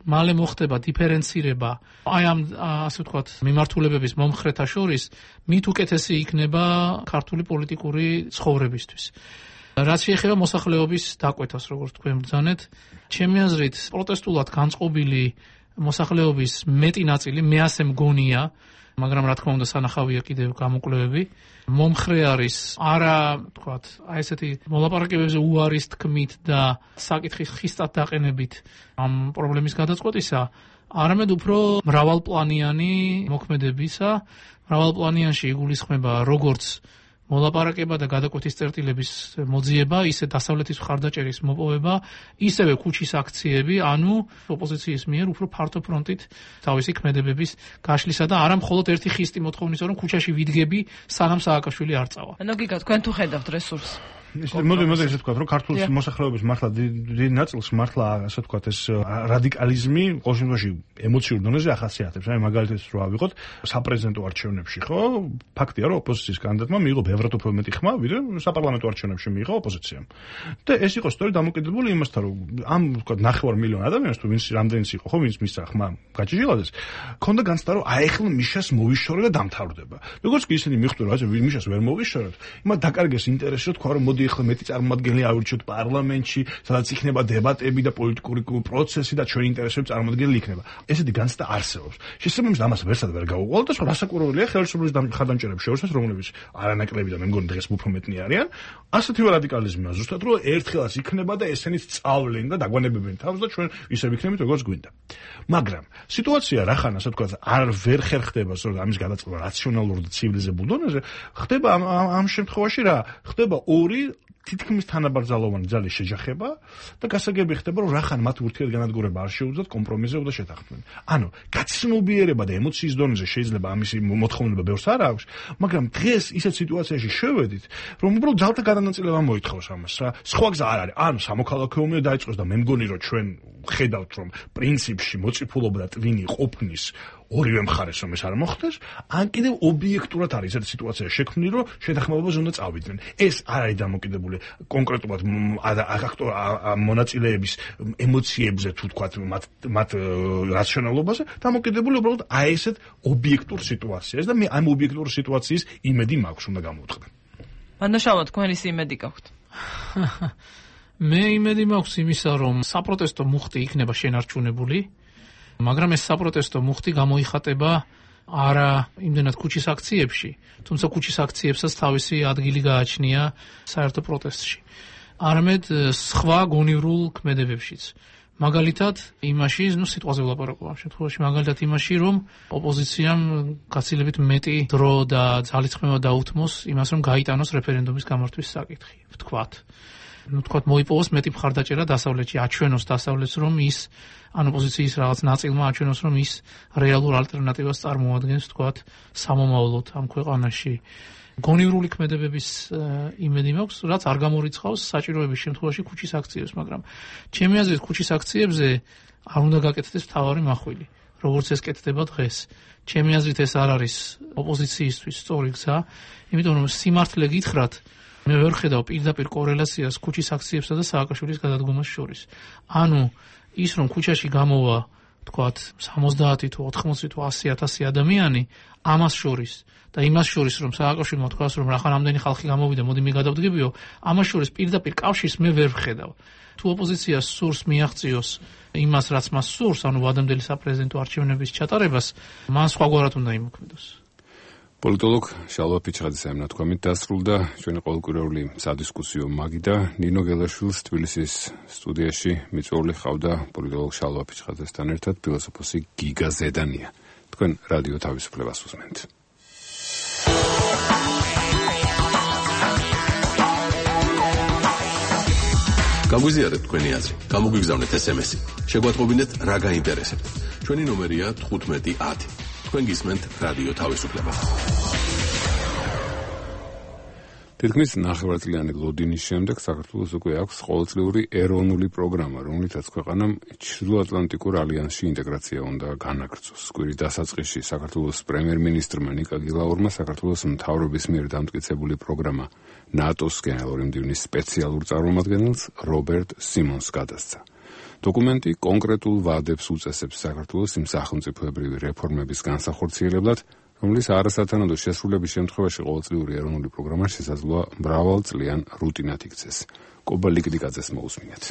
მალე მოხდება დიფერენცირება აი ამ ასე ვთქვათ მიმართულებების მომხრეთა შორის, მით უკეთესი იქნება ქართული პოლიტიკური ცხოვრებისთვის. რაც შეეხება მოსახლეობის დაკვეთას, როგორც თქვენ ბრძანეთ, ჩემი აზრით, პროტესტულად განწყობილი მოსახლეობის მეტი ნაწილი, მე ასე მგონია, მაგრამ რა თქმა უნდა სანახავია კიდევ გამოკვლევები, მომხრე არის არა, ვთქვათ, აი ესეთი მოლაპარაკებებზე უარის თქმით და საკითხის ხისტად დაყენებით ამ პრობლემის გადაწყვეტისა, არამედ უფრო მრავალპლანიანი მოქმედებისა, მრავალპლანიანში იგულისხმება როგორც მოლაპარაკება და გადაკვეთის წერტილების მოძიება, ისე დასავლეთის მხარდაჭერის მოპოვება, ისევე ქუჩის აქციები, ანუ ოპოზიციის მიერ უფრო ფართო ფრონტით თავისი ქმედებების გაშლისა და არა მხოლოდ ერთი ხისტი მოთხოვნისა, რომ ქუჩაში ვიდგები, სანამ სააკაშვილი არ წავა. ანუ გიგა, თქვენ თუ ხედავთ რესურსს? მოდი მოდი ესე ვთქვათ, რომ ქართულ მოსახლეობის მართლა დიდ ნაწილს მართლა ასე ვთქვათ ეს რადიკალიზმი ყოველ შემთხვევაში ემოციურ დონეზე ახასიათებს. აი მაგალითად რო ავიღოთ საპრეზიდენტო არჩევნებში, ხო? ფაქტია, რომ ოპოზიციის კანდიდატმა მიიღო ბევრად უფრო მეტი ხმა, ვიდრე საპარლამენტო არჩევნებში მიიღო ოპოზიციამ. და ეს იყო სწორედ დამოკიდებული იმასთან, რომ ამ ვთქვათ ნახევარ მილიონ ადამიანს თუ ვინც რამდენიც იყო, ხო, ვინც მისცა ხმა გაჭიჟილადეს, ქონდა განცდა, რომ აი ახლა მიშას მოვიშორე და დამთავრდება. როგორც კი ისინი მიხვდნენ, რომ აი მიშას ვერ მოვიშორეთ, იმათ დაკარგეს ინტერესი, რომ თქვა, რომ მოდი ახლა მეტი წარმომადგენელი ავირჩიოთ პარლამენტში, სადაც იქნება დებატები და პოლიტიკური პროცესი და ჩვენი ინტერესები წარმომადგენელი იქნება. ესეთი განცდა არსებობს. შესაბამისად ამას ვერსად ვერ გაუყოლ და სხვა რასაკვირველია ხელისუფლების ხარდამჭერების შორისაც, რომლებიც არანაკლები და მე მგონი დღეს უფრო მეტნი არიან, ასეთივე რადიკალიზმია ზუსტად რომ ერთხელაც იქნება და ესენიც სწავლენ და დაგვანებებენ თავს და ჩვენ ისევ იქნებით როგორც გვინდა. მაგრამ სიტუაცია რახან ასე ვთქვათ არ ვერ ხერხდება სწორედ ამის გადაწყობა რაციონალურ და ცივილიზებულ დონეზე, ხდება ამ ამ შემთხვევაში რა? ხდება ორი თითქმის თანაბრძოლოვანი ძალის შეჯახება და გასაგები ხდება, რომ რახან მათ ურთიერთგანადგურება არ შეუძლიათ კომპრომისზე და შეთანხმება. ანუ გაცნობიერება და ემოციის დონეზე შეიძლება ამისი მოთხოვნილება ბევრს არ აქვს, მაგრამ დღეს ისეთ სიტუაციაში შევედით, რომ უბრალოდ ძალთა გადანაწილება მოითხოვს ამას რა. სხვა გზა არ არის. ანუ სამოქალაქო ომი დაიწყოს და მე მგონი, რომ ჩვენ ხედავთ, რომ პრინციპში მოწიფულობა და ტვინი ყოფნის ორივე მხარეს რომ ეს არ მოხდეს, ან კიდევ ობიექტურად არის ესეთი სიტუაცია შექმნილი, რომ შეთანხმებაზე უნდა წავიდნენ. ეს არ არის დამოკიდებული კონკრეტულად მონაწილეების ემოციებზე, თუ თქვათ, მათ მათ რაციონალობაზე, დამოკიდებული უბრალოდ აი ესეთ ობიექტურ სიტუაციაზე და მე ამ ობიექტურ სიტუაციის იმედი მაქვს, უნდა გამოვთხრა. მანდაშავა, თქვენ ის იმედი გაქვთ? მე იმედი მაქვს იმისა, რომ საპროტესტო მუხტი იქნება შენარჩუნებული. მაგრამ ეს საპროტესტო მუხტი გამოიხატება არა იმდენად ქუჩის აქციებში, თუმცა ქუჩის აქციებსაც თავისი ადგილი გააჩნია საერთო პროტესტში. არამედ სხვა გონივრულ ქმედებებშიც. მაგალითად იმაში, ნუ სიტყვაზე ვლაპარაკობ ამ შემთხვევაში, მაგალითად იმაში, რომ ოპოზიციამ გაცილებით მეტი დრო და ძალისხმევა დაუთმოს იმას, რომ გაიტანოს რეფერენდუმის გამართვის საკითხი, ვთქვათ. ну თქვათ მოიპოვოს მეტი მხარდაჭერა დასავლეთში, აჩვენოს დასავლეთს, რომ ის ან ოპოზიციის რაღაც ნაწილმა აჩვენოს, რომ ის რეალურ ალტერნატივას წარმოადგენს, თქვათ, სამომავლოდ ამ ქვეყანაში. გონივრული ქმედებების იმედი მაქვს, რაც არ გამორიცხავს საჭიროების შემთხვევაში ქუჩის აქციებს, მაგრამ ჩემი აზრით ქუჩის აქციებზე არ უნდა გაკეთდეს მთავარი მახვილი, როგორც ეს კეთდება დღეს. ჩემი აზრით ეს არ არის ოპოზიციისთვის სწორი გზა, იმიტომ რომ სიმართლე გითხრათ, მე ვერ ხედავ პირდაპირ კორელაციას ქუჩის აქციებსა და სააკაშვილის გადადგომას შორის. ანუ ის რომ ქუჩაში გამოვა, თქვათ, სამოცდაათი თუ ოთხმოცი თუ ასი ათასი ადამიანი, ამას შორის და იმას შორის რომ სააკაშვილმა თქვას რომ რახან ამდენი ხალხი გამოვიდა, მოდი მე გადავდგებიო, ამას შორის პირდაპირ კავშირს მე ვერ ვხედავ. თუ ოპოზიციას სურს მიაღწიოს იმას, რაც მას სურს, ანუ ვადამდელი საპრეზიდენტო არჩევნების ჩატარებას, მან სხვაგვარად უნდა იმოქმედოს. პოლიტოლოგ შალვა ფიჩხაძის ამ ნათქვამით დასრულდა ჩვენი ყოველკვირეული სადისკუსიო მაგი და ნინო გელაშვილს თბილისის სტუდიაში მიწვეული ხავდა პოლიტოლოგ შალვა ფიჩხაძესთან ერთად ფილოსოფოსი გიგა ზედანია. თქვენ რადიო თავისუფლებას უსმენთ. გაგვიზიარეთ თქვენი აზრი, გამოგვიგზავნეთ ესემესი, შეგვატყობინეთ რა გაინტერესებთ. ჩვენი ნომერია თხუთმეტი ათი. თქვენ გისმენთ რადიო თავისუფლებას. თითქმის ნახევარწლიანი ლოდინის შემდეგ საქართველოს უკვე აქვს ყოველწლიური ეროვნული პროგრამა, რომლითაც ქვეყანამ ჩრდილოატლანტიკურ ალიანსში ინტეგრაცია უნდა განაგრძოს. კვირის დასაწყისში საქართველოს პრემიერ-მინისტრმა ნიკა გილაურმა საქართველოს მთავრობის მიერ დამტკიცებული პროგრამა ნატოს გენერალური მდივნის სპეციალურ წარმომადგენელს რობერტ სიმონს გადასცა. დოკუმენტი კონკრეტულ ვადებს უწესებს საქართველოს იმ სახელმწიფოებრივი რეფორმების განსახორციელებლად, რომლის არასათანადო შესრულების შემთხვევაში ყოველწლიური ეროვნული პროგრამა შესაძლოა მრავალწლიან რუტინად იქცეს. კობა ლიკდიკაძეს მოусმინეთ.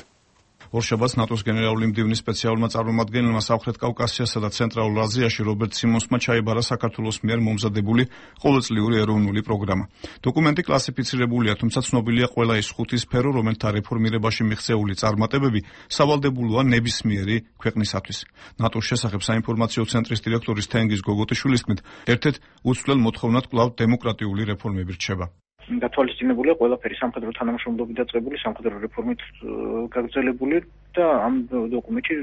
ორშაბათს ნატოს გენერალური მდივნის სპეციალურმა წარმომადგენელმა სამხრეთ კავკასიასა და ცენტრალურ აზიაში რობერტ სიმონსმა ჩაიბარა საქართველოს მიერ მომზადებული ყოველწლიური ეროვნული პროგრამა. დოკუმენტი კლასიფიცირებულია, თუმცა ცნობილია ყველა ის ხუთი სფერო, რომელთა რეფორმირებაში მიღწეული წარმატებები სავალდებულოა ნებისმიერი ქვეყნისათვის. ნატოს შესახებ საინფორმაციო ცენტრის დირექტორის თენგიზ გოგოტიშვილის თქმით, ერთ-ერთ უცვლელ მოთხოვნად კვლავ დემოკრატიული რეფორმები რჩება. გათვალისწინებულია ყველაფერი სამხედრო თანამშრომლობით დაწყებული, სამხედრო რეფორმით გაგრძელებული და ამ დოკუმენტში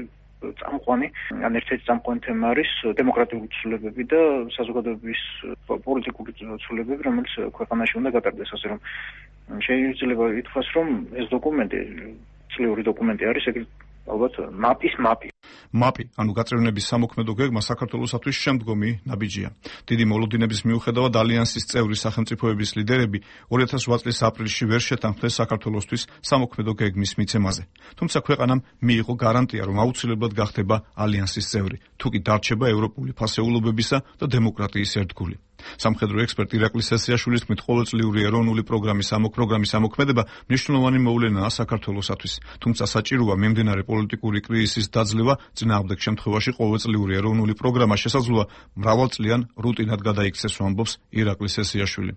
წამყვანი, ან ერთ-ერთი წამყვანი თემა არის დემოკრატიული ცვლილებები და საზოგადოების პოლიტიკური ცვლილებები, რომელიც ქვეყანაში უნდა გატარდეს, ასე რომ შეიძლება ითქვას, რომ ეს დოკუმენტი, წლიური დოკუმენტი არის ეგრეთ ალბათ მაპის მაპი. მაპი, ანუ გაწევრიანების სამოქმედო გეგმა საქართველოსათვის შემდგომი ნაბიჯია. დიდი მოლოდინების მიუხედავად ალიანსის წევრი სახელმწიფოების ლიდერები ორი ათას ოთხ წლის აპრილში ვერ შეთანხმდნენ საქართველოსთვის სამოქმედო გეგმის მიცემაზე. თუმცა ქვეყანამ მიიღო გარანტია, რომ აუცილებლად გახდება ალიანსის წევრი, თუ კი დარჩება ევროპული ფასეულობებისა და დემოკრატიის ერთგული. სამხედრო ექსპერტი ირაკლი სესიაშვილის თქმით, ყოველწლიური ეროვნული პროგრამის ამოქმედება ამოქმედება მნიშვნელოვანი მოვლენაა საქართველოსათვის. თუმცა საჭიროა მიმდინარე პოლიტიკური კრიზისის დაძლევა, წინააღმდეგ შემთხვევაში ყოველწლიური ეროვნული პროგრამა შესაძლოა მრავალწლიან რუტინად გადაიქცეს, ამბობს ირაკლი სესიაშვილი.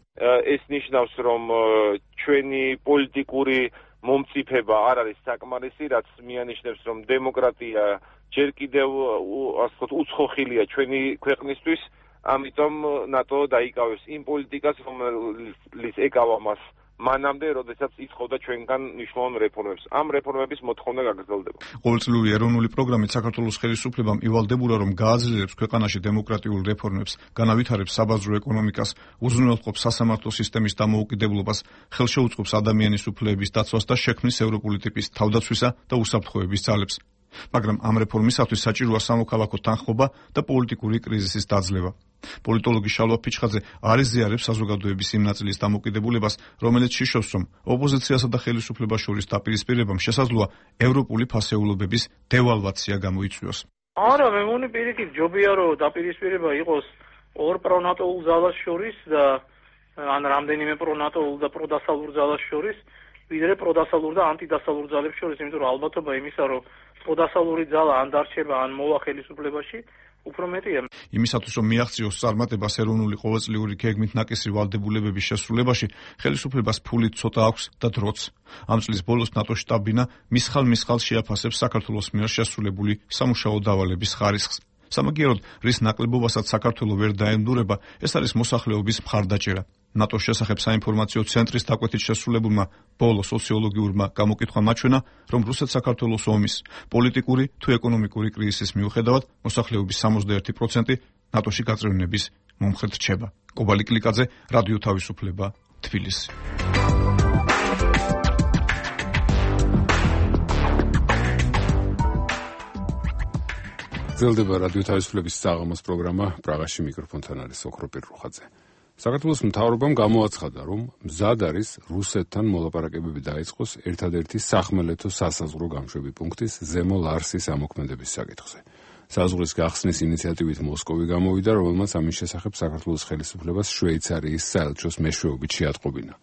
ეს ნიშნავს, რომ ჩვენი პოლიტიკური მომწიფება არ არის საკმარისი, რაც მიანიშნებს, რომ დემოკრატია ჯერ კიდევ ასე ვთქვათ უცხოხილია ჩვენი ქვეყნისთვის. ამიტომ ნატო დაიკავებს იმ პოლიტიკას, რომელიც ეკავა მას მანამდე, როდესაც იცხოვდა ჩვენგან მნიშვნელოვან რეფორმებს. ამ რეფორმების მოთხოვნა გაგრძელდება. ყოველწლიური ეროვნული პროგრამით საქართველოს ხელისუფლებამ ივალდებულა, რომ გააძლიერებს ქვეყანაში დემოკრატიულ რეფორმებს, განავითარებს საბაზრო ეკონომიკას, უზრუნველყოფს სასამართლო სისტემის დამოუკიდებლობას, ხელშეუწყობს ადამიანის უფლებების დაცვას და შექმნის ევროპული ტიპის თავდაცვისა და უსაფრთხოების ძალებს. მაგრამ ამ რეფორმისათვის საჭიროა სამოქალაქო თანხმობა და პოლიტიკური კრიზისის დაძლევა. პოლიტოლოგი შალვა ფიჩხაძე არ იზიარებს საზოგადოების იმ ნაწილის დამოკიდებულებას, რომელიც შიშობს, რომ ოპოზიციასა და ხელისუფლებას შორის დაპირისპირებამ შესაძლოა ევროპული ფასეულობების დევალვაცია გამოიწვიოს. არა, მე მგონი პირიქით ჯობია, რომ დაპირისპირება იყოს ორ პრონატოულ ძალას შორის და ან რამდენიმე პრონატოულ და პროდასალურ ძალას შორის, ვიდრე პროდასალურ და ანტიდასალურ ძალებს შორის, იმიტომ რომ ალბათობა იმისა, რომ პროდასალური ძალა ან დარჩება, ან მოვა ხელისუფლებაში, უფრო მეტია. იმისათვის, რომ მიაღწიოს წარმატებას ეროვნული ყოველწლიური გეგმით ნაკისი ვალდებულებების შესრულებაში, ხელისუფლებას ფული ცოტა აქვს და დროც. ამ წლის ბოლოს ნატო შტაბ-ბინა მისხალ-მისხალ შეაფასებს საქართველოს მიერ შესრულებული სამუშაო დავალების ხარისხს. სამაგიეროდ, რის ნაკლებობასაც საქართველოს ვერ დაენდურება, ეს არის მოსახლეობის მხარდაჭერა. ნატოს შესახებ საინფორმაციო ცენტრის დაკვეთით შესრულებულმა ბოლო სოციოლოგიურმა გამოკითხვამ აჩვენა, რომ რუსეთ-საქართველოს ომის პოლიტიკური თუ ეკონომიკური კრიზისის მიუხედავად მოსახლეობის სამოცდაერთი პროცენტი ნატოში გაწევრიანების მომხრედ რჩება. კობა ლიკდიკაძე, რადიო თავისუფლება, თბილისი. გრძელდება რადიო თავისუფლების საღამოს პროგრამა, პრაღაში მიკროფონთან არის ოქროპირ რუხაძე. საქართველოს მთავრობამ გამოაცხადა, რომ მზად არის რუსეთთან მოლაპარაკებები დაიწყოს ერთადერთი სახმელეთო სასაზღვრო გამშვები პუნქტის ზემო ლარსის ამოქმედების საკითხზე. საზღვრის გახსნის ინიციატივით მოსკოვი გამოვიდა, რომელმაც ამის შესახებ საქართველოს ხელისუფლებას შვეიცარიის საელჩოს მეშვეობით შეატყობინა.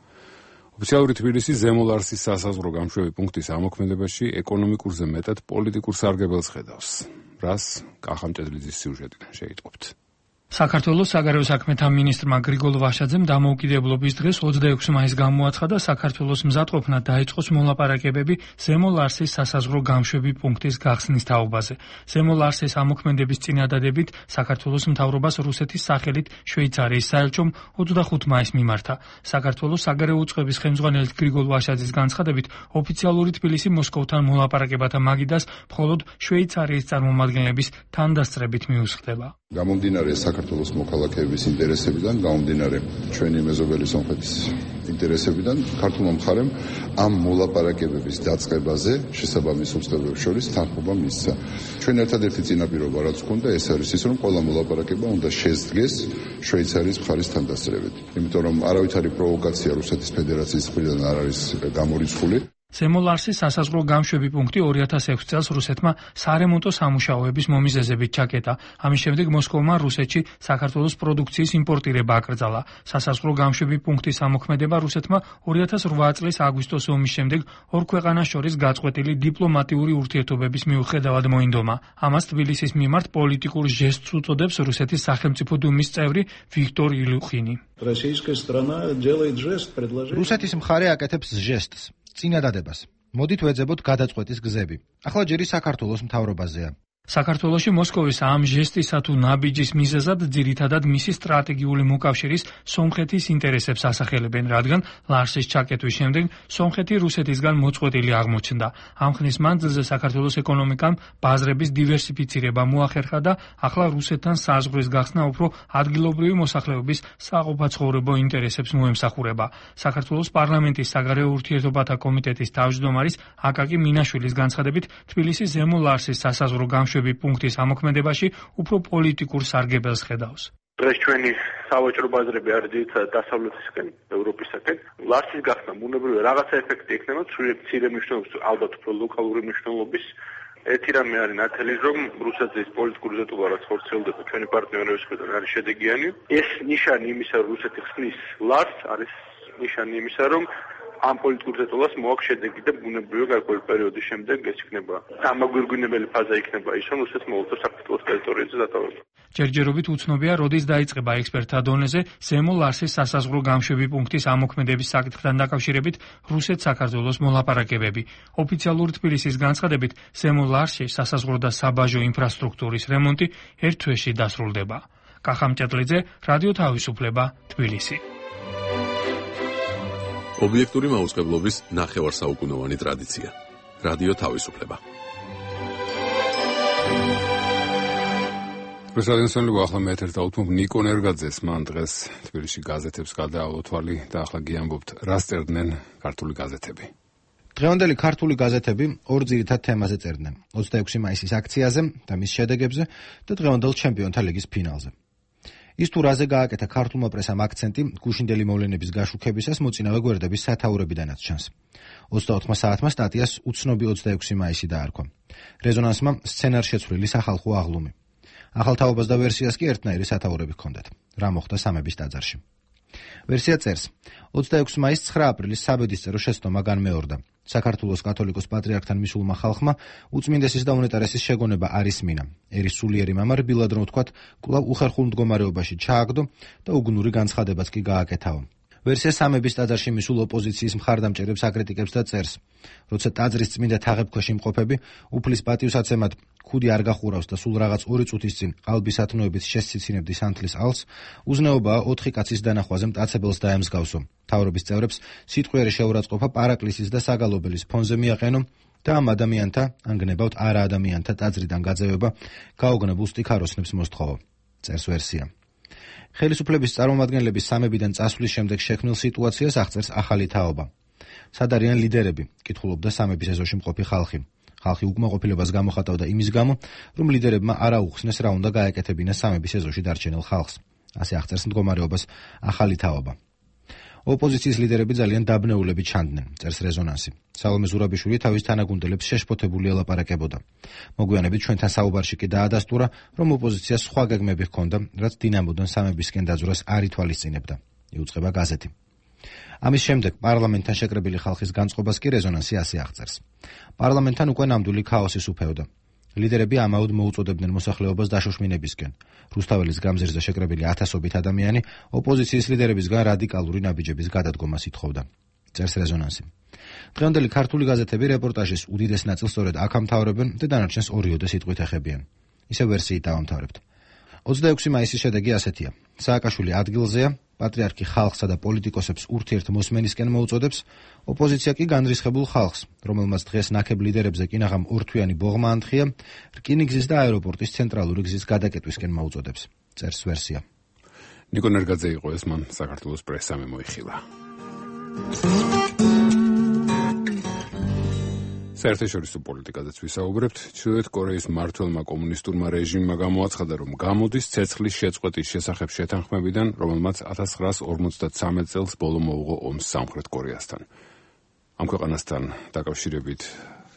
ოფიციალური თბილისი ზემო ლარსის სასაზღვრო გამშვები პუნქტის ამოქმედებაში ეკონომიკურზე მეტად პოლიტიკურ სარგებელს ხედავს. რას კახამჭედლიძის სიუჟეტიდან შეიტყობთ. საქართველოს საგარეო საქმეთა მინისტრმა გრიგოლ ვაშაძემ დამოუკიდებლობის დღეს ოცდაექვსი მაისს გამოაცხადა, საქართველოს მზადყოფნა დაიწყოს მოლაპარაკებები ზემო ლარსის სასაზღვრო გამშვები პუნქტის გახსნის თაობაზე. ზემო ლარსის ამოქმედების წინადადებით საქართველოს მთავრობას რუსეთის სახელით შვეიცარიის საელჩომ ოცდახუთი მაისს მიმართა. საქართველოს საგარეო უწყების ხელმძღვანელის გრიგოლ ვაშაძის განცხადებით, ოფიციალური თბილისი მოსკოვთან მოლაპარაკებათა მაგიდას მხოლოდ შვეიცარიის წარმომადგენლების თანდასწრებით მიუსხდება. გამომდინარე საქართველოს მოქალაქეების ინტერესებიდან, გამომდინარე ჩვენი მეზობელი სომხეთის ინტერესებიდან, ქართულმა მხარემ ამ მოლაპარაკებების დაწყებაზე შესაბამის უწყებებს შორის თანხმობა მისცა. ჩვენ ერთადერთი წინაპირობა რაც გვქონდა, ეს არის ის, რომ ყველა მოლაპარაკება უნდა შესდგეს შვეიცარიის მხარის თანდასწრებით. იმიტომ რომ არავითარი პროვოკაცია რუსეთის ფედერაციის მხრიდან არ არის გამორიცხული. ზემო ლარსის სასაზღვრო გამშვები პუნქტი ორი ათას ექვსი წელს რუსეთმა სარემონტო სამუშაოების მომიზეზებით ჩაკეტა. ამის შემდეგ მოსკოვმა რუსეთში საქართველოს პროდუქციის იმპორტირება აკრძალა. სასაზღვრო გამშვები პუნქტის ამოქმედება რუსეთმა ორი ათას რვა წლის აგვისტოს ომის შემდეგ ორ ქვეყანას შორის გაწყვეტილი დიპლომატიური ურთიერთობების მიუხედავად მოინდომა. ამას თბილისის მიმართ პოლიტიკურ ჟესტს უწოდებს რუსეთის სახელმწიფო დუმის წევრი ვიქტორ ილუხინი. რუსეთის მხარე აკეთებს ჟესტს, წინადადებას. მოდით ვეძებოთ გადაწყვეტის გზები. ახლა ჯერი საქართველოს მთავრობაზეა. საქართველოში მოსკოვის ამ ჟესტისა თუ ნაბიჯის მიზეზად ძირითადად მისი სტრატეგიული მოკავშირის სომხეთის ინტერესებს ასახელებენ, რადგან ლარსის ჩაკეტვის შემდეგ სომხეთი რუსეთისგან მოწყვეტილი აღმოჩნდა. ამ ხნის მანძილზე საქართველოს ეკონომიკამ ბაზრების დივერსიფიცირება მოახერხა და ახლა რუსეთთან საზღვრის გახსნა უფრო ადგილობრივი მოსახლეობის საყოფაცხოვრებო ინტერესებს მოემსახურება. საქართველოს პარლამენტის საგარეო ურთიერთობათა კომიტეტის თავმჯდომარის აკაკი მინაშვილის განცხადებით, თბილისის ზემო ლარსის სასაზღვრო შვები პუნქტის ამოქმედებაში უფრო პოლიტიკურ სარგებელს ხედავს. დღეს ჩვენი სავაჭრო ბაზრები არის ძირითადად დასავლეთისკენ, ევროპისაკენ. ლარსის გახსნა ბუნებრივია რაღაცა ეფექტი ექნება, მცირე მნიშვნელობის, ალბათ უფრო ლოკალური მნიშვნელობის. ერთი რამე არის ნათელი, რომ რუსეთის პოლიტიკური ზეტობა რაც ხორციელდება ჩვენი პარტნიორების მხრიდან არის შედეგიანი. ეს ნიშანი იმისა, რომ რუსეთი ხსნის ლარს, არის ნიშანი იმისა, რომ ამ პოლიტიკურ ზეტობას მოაქვს შედეგი და ბუნებრივია გარკვეული პერიოდის შემდეგ ეს იქნება ამაგვირგვინებელი ფაზა იქნება ის, რომ რუსეთს მოუწევს საქართველოს ტერიტორიაზე დატოვება. ჯერჯერობით უცნობია, როდის დაიწყება ექსპერტთა დონეზე ზემო ლარსის სასაზღვრო გამშვები პუნქტის ამოქმედების საკითხთან დაკავშირებით რუსეთ-საქართველოს მოლაპარაკებები. ოფიციალური თბილისის განცხადებით, ზემო ლარსში სასაზღვრო და საბაჟო ინფრასტრუქტურის რემონტი ერთ თვეში დასრულდება. კახა მჭედლიძე, რადიო თავისუფლება, თბილისი. ობიექტური მაუწყებლობის ნახევარსაუკუნოვანი ტრადიცია. რადიო თავისუფლება. პრესადენსონლი ახლა მეეთერ დავუთმობ ნიკო ნერგაძეს, მან დღეს თბილისში გაზეთებს გადაავალო თვალი და ახლა გიამბობთ, რა სწერდნენ ქართული გაზეთები. დღევანდელი ქართული გაზეთები ორ ძირითად თემაზე წერდნენ: ოცდაექვსი მაისის აქციაზე და მის შედეგებზე და დღევანდელ ჩემპიონთა ლიგის ფინალზე. ის თუ რაზე გააკეთა ქართულმა პრესამ აქცენტი გუშინდელი მოვლენების გაშუქებისას მოწინავე გვერდების სათაურებიდანაც ჩანს. ოცდაოთხ საათმა სტატიას უცნობი ოცდაექვსი მაისი დაარქვა. რეზონანსმა სცენარშეცვლილი სახალხო აღლუმი. ახალ თაობას და ვერსიას კი ერთნაირი სათაურები ჰქონდათ. რა მოხდა სამების ტაძარში? ვერსია წერს: ოცდაექვსი მაისს ცხრა აპრილის საბედისწერო შეცდომა განმეორდა. საქართველოს კათოლიკოს პატრიარქთან მისულმა ხალხმა უწმინდესის და უნეტარესის შეგონება არის მინა. ერის სულიერი მამა რბილად რომ ვთქვათ, კვლავ უხერხულ მდგომარეობაში ჩააგდო და უგნური განცხადებაც კი გააკეთაო. ვერსია სამების ტაძარში მისულ ოპოზიციის მხარდამჭერებს აკრიტიკებს და წერს: როცა ტაძრის წმინდა თაღებქვეშ იმყოფები, უფლის პატივსაცემად ქუდი არ გახურავს და სულ რაღაც ორი წუთის წინ ყალბის ათნოებით შესციცინებდი სანთლის ალს, უზნეობაა ოთხი კაცის დანახვაზე მტაცებელს დაემსგავსო. მთავრობის წევრებს სიტყვიერი შეურაცხყოფა პარაკლისის და საგალობელის ფონზე მიაყენო და ამ ადამიანთა, ან გნებავთ არა ადამიანთა ტაძრიდან გაძევება გაოგნებულ სტიქაროსნებს მოსთხოვო. წერს ვერსია. ხელისუფლების წარმომადგენლების სამებიდან წასვლის შემდეგ შექმნილ სიტუაციას აღწერს ახალი თაობა. სად არიან ლიდერები? კითხულობდა სამების ეზოში მყოფი ხალხი. ხალხი უკმაყოფილებას გამოხატავდა იმის გამო, რომ ლიდერებმა არ აუხსნეს რა უნდა გაეკეთებინეს სამების ეზოში დარჩენილ ხალხს. ასე აღწერს მდგომარეობას ახალი თაობა. ოპოზიციის ლიდერები ძალიან დაბნეულები ჩანდნენ, წერს რეზონანსი. სალომე ზურაბიშვილი თავის თანაგუნდელებს შეშფოთებული ელაპარაკებოდა. მოგვიანებით ჩვენთან საუბარში კი დაადასტურა, რომ ოპოზიციას სხვა გეგმები ჰქონდა, რაც დინამოდან სამებისკენ დაძვრას არ ითვალისწინებდა. იუწყება გაზეთი. ამის შემდეგ პარლამენტთან შეკრებილი ხალხის განწყობას კი რეზონანსი ასე აღწერს. პარლამენტთან უკვე ნამდვილი ქაოსი სუფეოდა. ლიდერები ამაოდ მოუწოდებდნენ მოსახლეობას დაშოშმინებისკენ. რუსთაველის გამზირზე შეკრებილი ათასობით ადამიანი ოპოზიციის ლიდერებისგან რადიკალური ნაბიჯების გადადგომას ითხოვდა. წერს რეზონანსი. დღევანდელი ქართული გაზეთები რეპორტაჟის უდიდეს ნაწილს სწორედ აქ ამთავრებენ და დანარჩენს ორიოდე სიტყვით ეხებიან. ისევ ვერსიით დავამთავრებთ. ოცდაექვსი მაისის შედეგი ასეთია: სააკაშვილი ადგილზეა, პატრიარქი ხალხსა და პოლიტიკოსებს ურთიერთ მოსმენისკენ მოუწოდებს, ოპოზიცია კი განრისხებულ ხალხს, რომელმაც დღეს ნაკებ ლიდერებზე კინაღამ ორთვიანი ბოღმა ანთია, რკინიგზის და აეროპორტის ცენტრალური გზის გადაკეტვისკენ მოუწოდებს. წერს ვერსია. ნიკო ნერგაძე იყო ეს, მან საქართველოს პრესამ მოიხილა. საერთაშორისო პოლიტიკაზეც ვისაუბრებთ. ჩრდილოეთ კორეის მმართველმა კომუნისტურმა რეჟიმმა გამოაცხადა, რომ გამოდის ცეცხლის შეწყვეტის შესახებ შეთანხმებიდან, რომელმაც ათას ცხრაას ორმოცდათსამეტ წელს ბოლო მოუღო ომს სამხრეთ კორეასთან. ამ ქვეყანასთან დაკავშირებით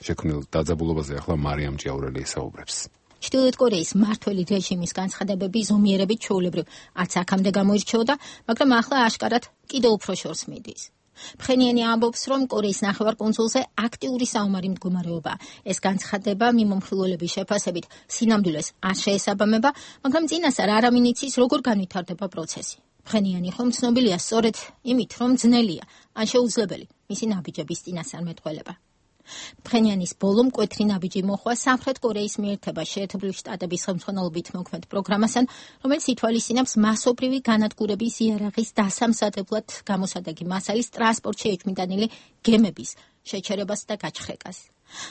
შექმნილ დაძაბულობაზე ახლა მარიამ ჭიაურელი ესაუბრებს. ჩრდილოეთ კორეის მმართველი რეჟიმის განცხადებები ზომიერებით ჩვეულებრივ არც აქამდე გამოირჩეოდა, მაგრამ ახლა აშკარად კიდევ უფრო შორს მიდის. ფხენიანი ამბობს, რომ კორეის ნახევარკუნძულზე აქტიური საომარი მდგომარეობაა. ეს განცხადება მიმომხილველების შეფასებით სინამდვილეს არ შეესაბამება, მაგრამ წინასწარ არავინ იცის, როგორ განვითარდება პროცესი. ფხენიანი ხომ ცნობილია სწორედ იმით, რომ ძნელია ან შეუძლებელი მისი ნაბიჯების წინასწარ მეტყველება. ფხენიანის ბოლო მკვეთრი ნაბიჯი მოხდა სამხრეთ კორეის მიერთება შეერთებული შტატების ხელმძღვანელობით მოქმედ პროგრამასთან, რომელიც ითვალისწინებს მასობრივი განადგურების იარაღის დასამზადებლად გამოსადეგი მასალის ტრანსპორტში ეჭვმიტანილი გემების შეჩერებას და გაჩხრეკას.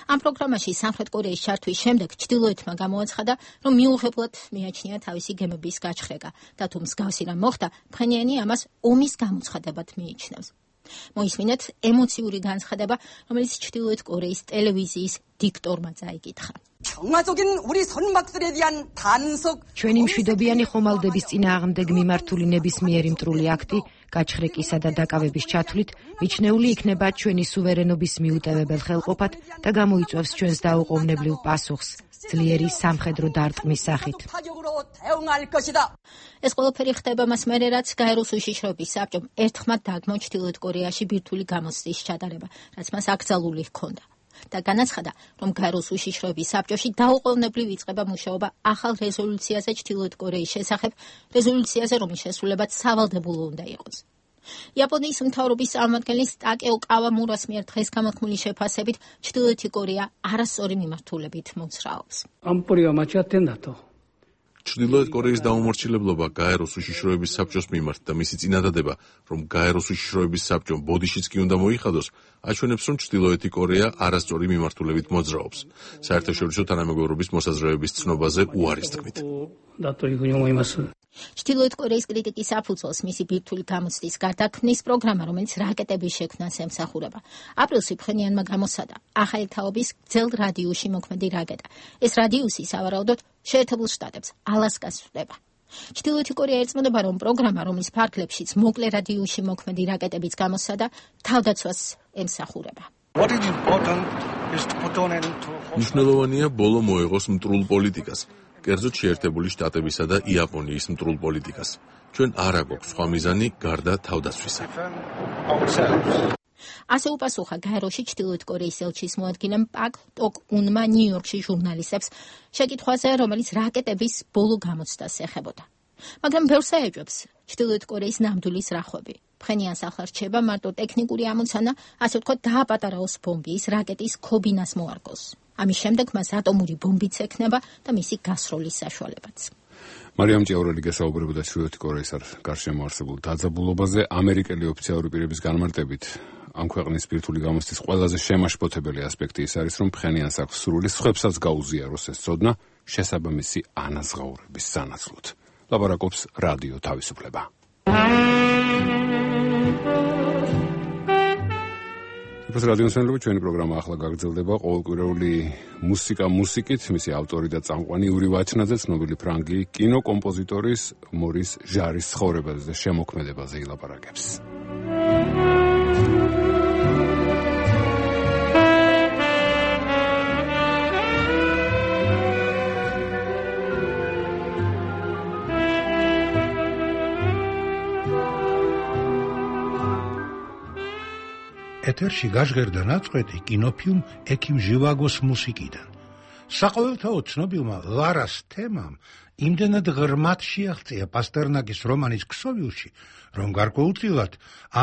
ამ პროგრამაში სამხრეთ კორეის ჩართვის შემდეგ ჩრდილოეთმა გამოაცხადა, რომ მიუღებლად მიაჩნია თავისი გემების გაჩხრეკა და თუ მსგავსი რამ მოხდა, ფხენიანი ამას ომის გამოცხადებად მიიჩნევს. მოისმინეთ ემოციური განცხადება, რომელიც ჩრდილოეთ კორეის ტელევიზიის დიქტორმა წაიკითხა. ჩვენი მშვიდობიანი ხომალდების წინააღმდეგ მიმართული ნებისმიერი მტრული აქტი, გაჩხრეკისა და დაკავების ჩათვლით, მიჩნეული იქნება ჩვენი სუვერენობის მიუტევებელ ხელყოფად და გამოიწვევს ჩვენს დაუყოვნებლივ პასუხს ძლიერი სამხედრო დარტყმის სახით. ეს ყველაფერი ხდება მას მერე, რაც გაეროს უშიშროების საბჭომ ერთხმად დაგმო ჩრდილოეთ კორეაში ბირთვული გამოცდის ჩატარება, რაც მას აკრძალული ჰქონდა. და განაცხადა, რომ გაეროს უშიშროების საბჭოში დაუყოვნებლივ იწყება მუშაობა ახალ რეზოლუციაზე ჩრდილოეთ კორეის შესახებ, რეზოლუციაზე, რომლის შესრულებაც სავალდებულო უნდა იყოს. იაპონიის მთავრობის წარმომადგენლის ტაკეო კავამურას მიერ დღეს გამოთქმული შეფასებით ჩრდილოეთი კორეა არასწორი მიმართულებით მოძრაობს. ჩრდილოეთ კორეის დაუმორჩილებლობა გაეროს უშიშროების საბჭოს მიმართ და მისი წინადადება, რომ გაეროს უშიშროების საბჭომ ბოდიშიც კი უნდა მოიხადოს, აჩვენებს, რომ ჩრდილოეთი კორეა არასწორი მიმართულებით მოძრაობს. საერთაშორისო თანამეგობრობის მოსაზრებების ცნობაზე უარის თქმით. ჩრდილოეთ კორეის კრიტიკის საფუძველს მისი ბირთვული გამოცდის გარდაქმნის პროგრამა, რომელიც რაკეტების შექმნას ემსახურება. აპრილში ფხენიანმა გამოსადა ახალი თაობის გრძელ რადიუსში მოქმედი რაკეტა. ეს რადიუსი სავარაუდოდ შეერთებულ შტატებს ალასკას ხვდება. ჩრდილოეთი კორეა ერწმუდება, რომ პროგრამა, რომლის ფარგლებშიც მოკლე რადიუსში მოქმედი რაკეტებიც გამოსადა, თავდაცვას ემსახურება. მნიშვნელოვანია ბოლო მოეღოს მტრულ პოლიტიკას. კერძოდ შეერთებული შტატებისა და იაპონიის მტრულ პოლიტიკას. ჩვენ არ აგვაქვს სხვა მიზანი გარდა თავდაცვისა. ასე უპასუხა გაეროში ჩრდილოეთ კორეის ელჩის მოადგილემ პაკ ტოკ უნმა ნიუ-იორკში ჟურნალისტებს შეკითხვაზე, რომელიც რაკეტების ბოლო გამოცდას ეხებოდა. მაგრამ ბევრს აეჭვებს ჩრდილოეთ კორეის ნამდვილის რახვები. ფხენიანს ახლა რჩება მარტო ტექნიკური ამოცანა, ასე ვთქვათ, დააპატარაოს ბომბი ის რაკეტის ქობინას მოარგოს. ამის შემდეგ მას ატომური ბომბიც ექნება და მისი გასროლის საშუალებაც. მარიამ ჭიაურელი გესაუბრებოდა ჩრდილოეთ კორეის გარშემო არსებულ დაძაბულობაზე. ამერიკელი ოფიციალური პირების განმარტებით ამ ქვეყნის ბირთვული გამოცდის ყველაზე შემაშფოთებელი ასპექტი ის არის, რომ ფხენიანს აქვს სრული სხვებსაც გაუზიაროს ეს ცოდნა შესაბამისი ანაზღაურების სანაცვლოდ. ლაპარაკობს რადიო თავისუფლება. ეს რადიოსმენელები, ჩვენი პროგრამა ახლა გაგრძელდება. ყოველკვირეული მუსიკა მუსიკით, მისი ავტორი და წამყვანი იური ვაჩნაძე ცნობილი ფრანგი კინოკომპოზიტორის მორის ჟარის ცხოვრებაზე და შემოქმედებაზე ილაპარაკებს. ეთერში გაჟღერდა ნაწყვეტი კინოფილმ ექიმ ჟივაგოს მუსიკიდან. საყოველთაოდ ცნობილმა ლარას თემამ იმდენად ღრმად შეაღწია პასტერნაკის რომანის ქსოვილში, რომ გარკვეულწილად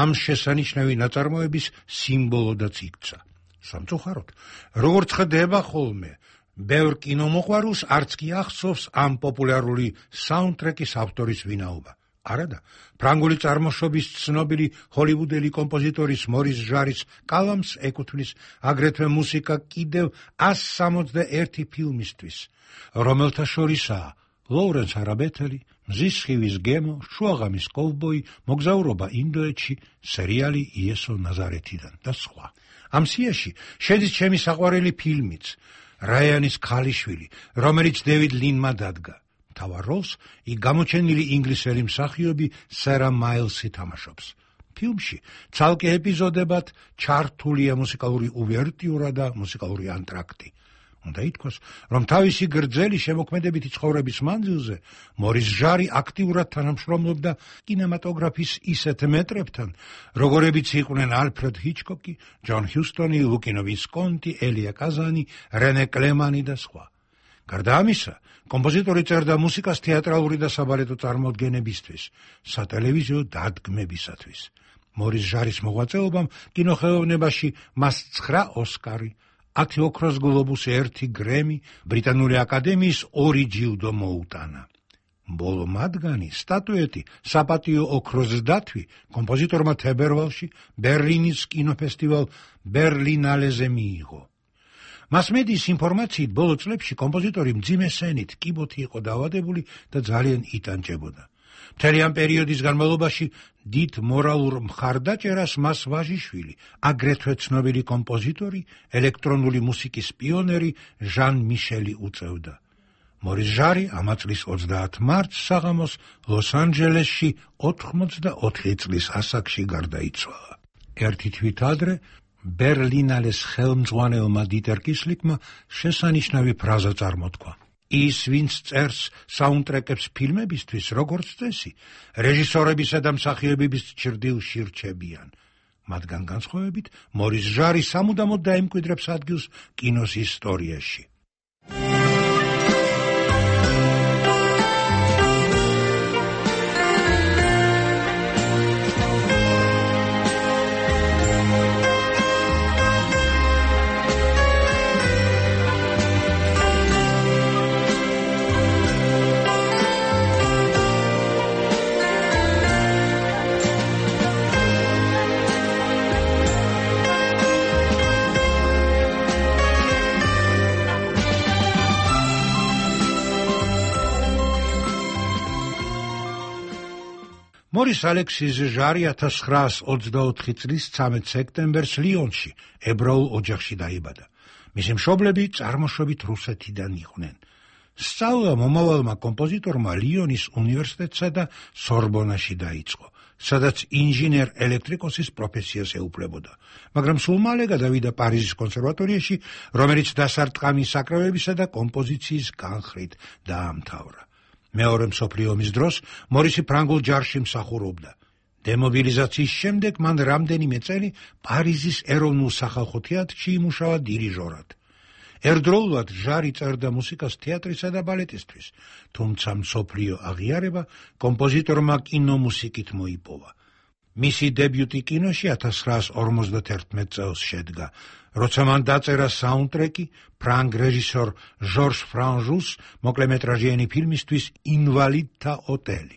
ამ შესანიშნავი ნაწარმოების სიმბოლოდაც იქცა. სამწუხაროდ, როგორც ხდება ხოლმე, ბევრ კინომოყვარულს არც კი ახსოვს ამ პოპულარული საუნდტრეკის ავტორის ვინაობა. არადა, ფრანგული წარმოშობის ცნობილი ჰოლივუდელი კომპოზიტორის მორის ჟარის კალამს ეკუთვნის აგრეთვე მუსიკა კიდევ ას სამოცდაერთი ფილმისთვის, რომელთა შორისაა ლოურენს არაბეთელი, მზის სხივის გემო, შუაღამის კოვბოი, მოგზაურობა ინდოეთში, სერიალი იესო ნაზარეთიდან და სხვა. ამ სიაში შედის ჩემი საყვარელი ფილმიც, რაიანის ქალიშვილი, რომელიც დევიდ ლინმა დადგა. მთავარ როლს იქ გამოჩენილი ინგლისელი მსახიობი სერა მაილსი თამაშობს. ფილმში ცალკე ეპიზოდებად ჩართულია მუსიკალური უვერტიურა და მუსიკალური ანტრაქტი. უნდა ითქვას, რომ თავისი გრძელი შემოქმედებითი ცხოვრების მანძილზე მორის ჟარი აქტიურად თანამშრომლობდა კინემატოგრაფის ისეთ მეტრებთან, როგორებიც იყვნენ ალფრედ ჰიჩკოკი, ჯონ ჰიუსტონი, ლუკინო ვისკონტი, ელია კაზანი, რენე კლემანი და სხვა. გარდა ამისა, კომპოზიტორი წერდა მუსიკას თეატრალური და საბალეტო წარმოდგენებისთვის, სატელევიზიო დადგმებისათვის. მორის ჟარის მოღვაწეობამ კინოხელოვნებაში მას ცხრა ოსკარი, ათი ოქროს გლობუსი, ერთი გრემი, ბრიტანული აკადემიის ორი ჯილდო მოუტანა. ბოლო მათგანი, სტატუეტი, საპატიო ოქროს დათვი კომპოზიტორმა თებერვალში ბერლინის კინოფესტივალ ბერლინალეზე მიიღო. მასმედიის ინფორმაციით, ბოლო წლებში კომპოზიტორი მძიმე სენით, კიბოთი იყო დაავადებული და ძალიან იტანჯებოდა. მთელი ამ პერიოდის განმავლობაში დიდ მორალურ მხარდაჭერას მას ვაჟიშვილი, აგრეთვე ცნობილი კომპოზიტორი, ელექტრონული მუსიკის პიონერი ჟან მიშელი უწევდა. მორის ჟარი ამა წლის ოცდაათ მარტს საღამოს ლოს-ანჯელესში ოთხმოცდაოთხი წლის ასაკში გარდაიცვალა. ერთი თვით ადრე ბერლინალეს ხელმძღვანელმა დიტერ კისლიკმა შესანიშნავი ფრაზა წარმოთქვა. ის, ვინც წერს საუნდტრეკებს ფილმებისთვის, როგორც წესი, რეჟისორებისა და მსახიობების ჭრდილში რჩებიან. მათგან განსხვავებით, მორის ჟარი სამუდამოდ დაემკვიდრებს ადგილს კინოს ისტორიაში. მორის ალექსის ჟარი ათას ცხრაას ოცდაოთხი წლის ცამეტ სექტემბერს ლიონში, ებრაულ ოჯახში დაიბადა. მისი მშობლები წარმოშობით რუსეთიდან იყვნენ. სწავლა მომავალმა კომპოზიტორმა ლიონის უნივერსიტეტსა და სორბონაში დაიწყო, სადაც ინჟინერ ელექტრიკოსის პროფესიას ეუფლებოდა, მაგრამ სულ მალე გადავიდა პარიზის კონსერვატორიაში, რომელიც დასარტყამი საკრავებისა და კომპოზიციის განხრით დაამთავრა. მეორე მსოფლიო ომის დროს მორისი ფრანგულ ჯარში მსახურობდა. დემობილიზაციის შემდეგ მან რამდენიმე წელი პარიზის ეროვნულ სახალხო თეატრში იმუშავა დირიჟორად. ერთდროულად ჟარი წერდა მუსიკას თეატრისა და ბალეტისთვის, თუმცა მსოფლიო აღიარება კომპოზიტორმა კინომუსიკით მოიპოვა. მისი დებიუტი კინოში ათას ცხრაას ორმოცდაათერთმეტ წელს შედგა, როცა მან დაწერა საუნდტრეკი ფრანგ რეჟისორ ჟორჟ ფრანჟუს მოკლემეტრაჟიანი ფილმისთვის ინვალიდთა ოტელი.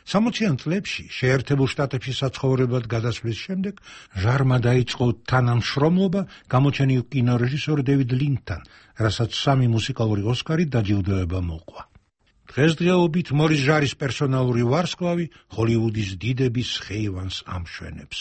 სამოციან წლებში შეერთებულ შტატებში საცხოვრებლად გადასვლის შემდეგ ჟარმა დაიწყო თანამშრომლობა გამოჩენილ კინორეჟისორ დევიდ ლინჩთან, რასაც სამი მუსიკალური ოსკარი დაჯილდოება მოყვა. დღესდღეობით მორის ჟარის პერსონალური ვარსკვლავი ჰოლივუდის დიდების ხეივანს ამშვენებს.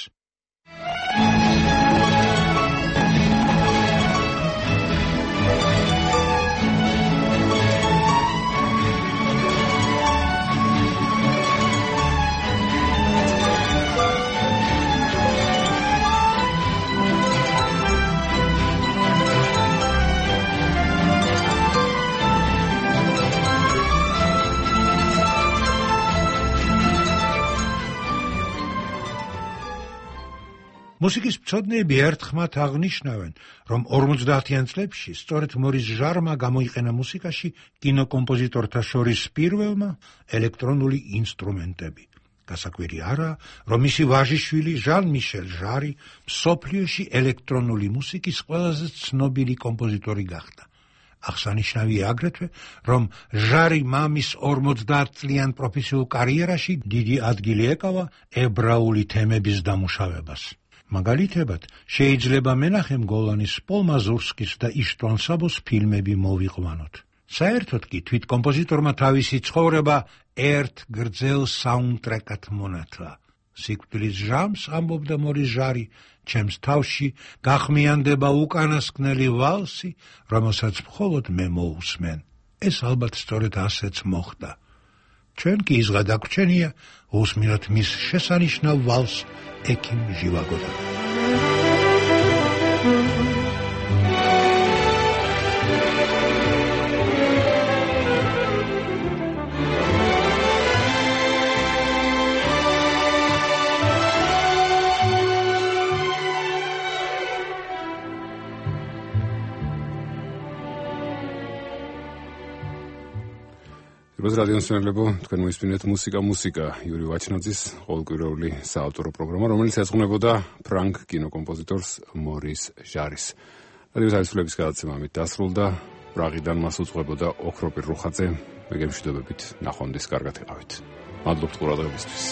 მუსიკის მცოდნეები ერთხმად აღნიშნავენ, რომ ორმოცდაათიან წლებში სწორედ მორის ჟარმა გამოიყენა მუსიკაში კინოკომპოზიტორთა შორის პირველმა ელექტრონული ინსტრუმენტები. გასაკვირი არაა, რომ მისი ვაჟიშვილი ჟან მიშელ ჟარი მსოფლიოში ელექტრონული მუსიკის ყველაზე ცნობილი კომპოზიტორი გახდა. აღსანიშნავია აგრეთვე, რომ ჟარი მამის ორმოცდაათწლიან პროფესიულ კარიერაში დიდი ადგილი ეკავა ებრაული თემების დამუშავებას. მაგალითებად, შეიძლება მენახემ გოლანის, პოლ მაზურსკის და იშტვან საბოს ფილმები მოვიყვანოთ. საერთოდ კი თვით კომპოზიტორმა თავისი ცხოვრება ერთ გრძელ საუნდტრეკად მონათლა. სიკვდილის ჟამს, ამბობდა მორის ჟარი, ჩემს თავში გახმიანდება უკანასკნელი ვალსი, რომელსაც მხოლოდ მე მოусმენ. ეს ალბათ სწორედ ასეც მოხდა. ჩვენ კი ის გადაგრჩენია უსმინოთ მის შესანიშნავ ვალს ექიმ ჟივაგოდან. როზ რადიოს მსმენელებო, თქვენ მოისმინეთ მუსიკა მუსიკა იური ვაჩნაძის ყოველკვირეული საავტორო პროგრამა, რომელიც ეძღვნებოდა ფრანგ კინოკომპოზიტორს მორის ჟარის. რადიოს აისვლების გადაცემა ამით დასრულდა. პრაღიდან მას უძღვებოდა ოქროპირ რუხაძე. მე გემშვიდობებით ნახვამდის კარგად იყავით. მადლობთ ყურადღებისთვის.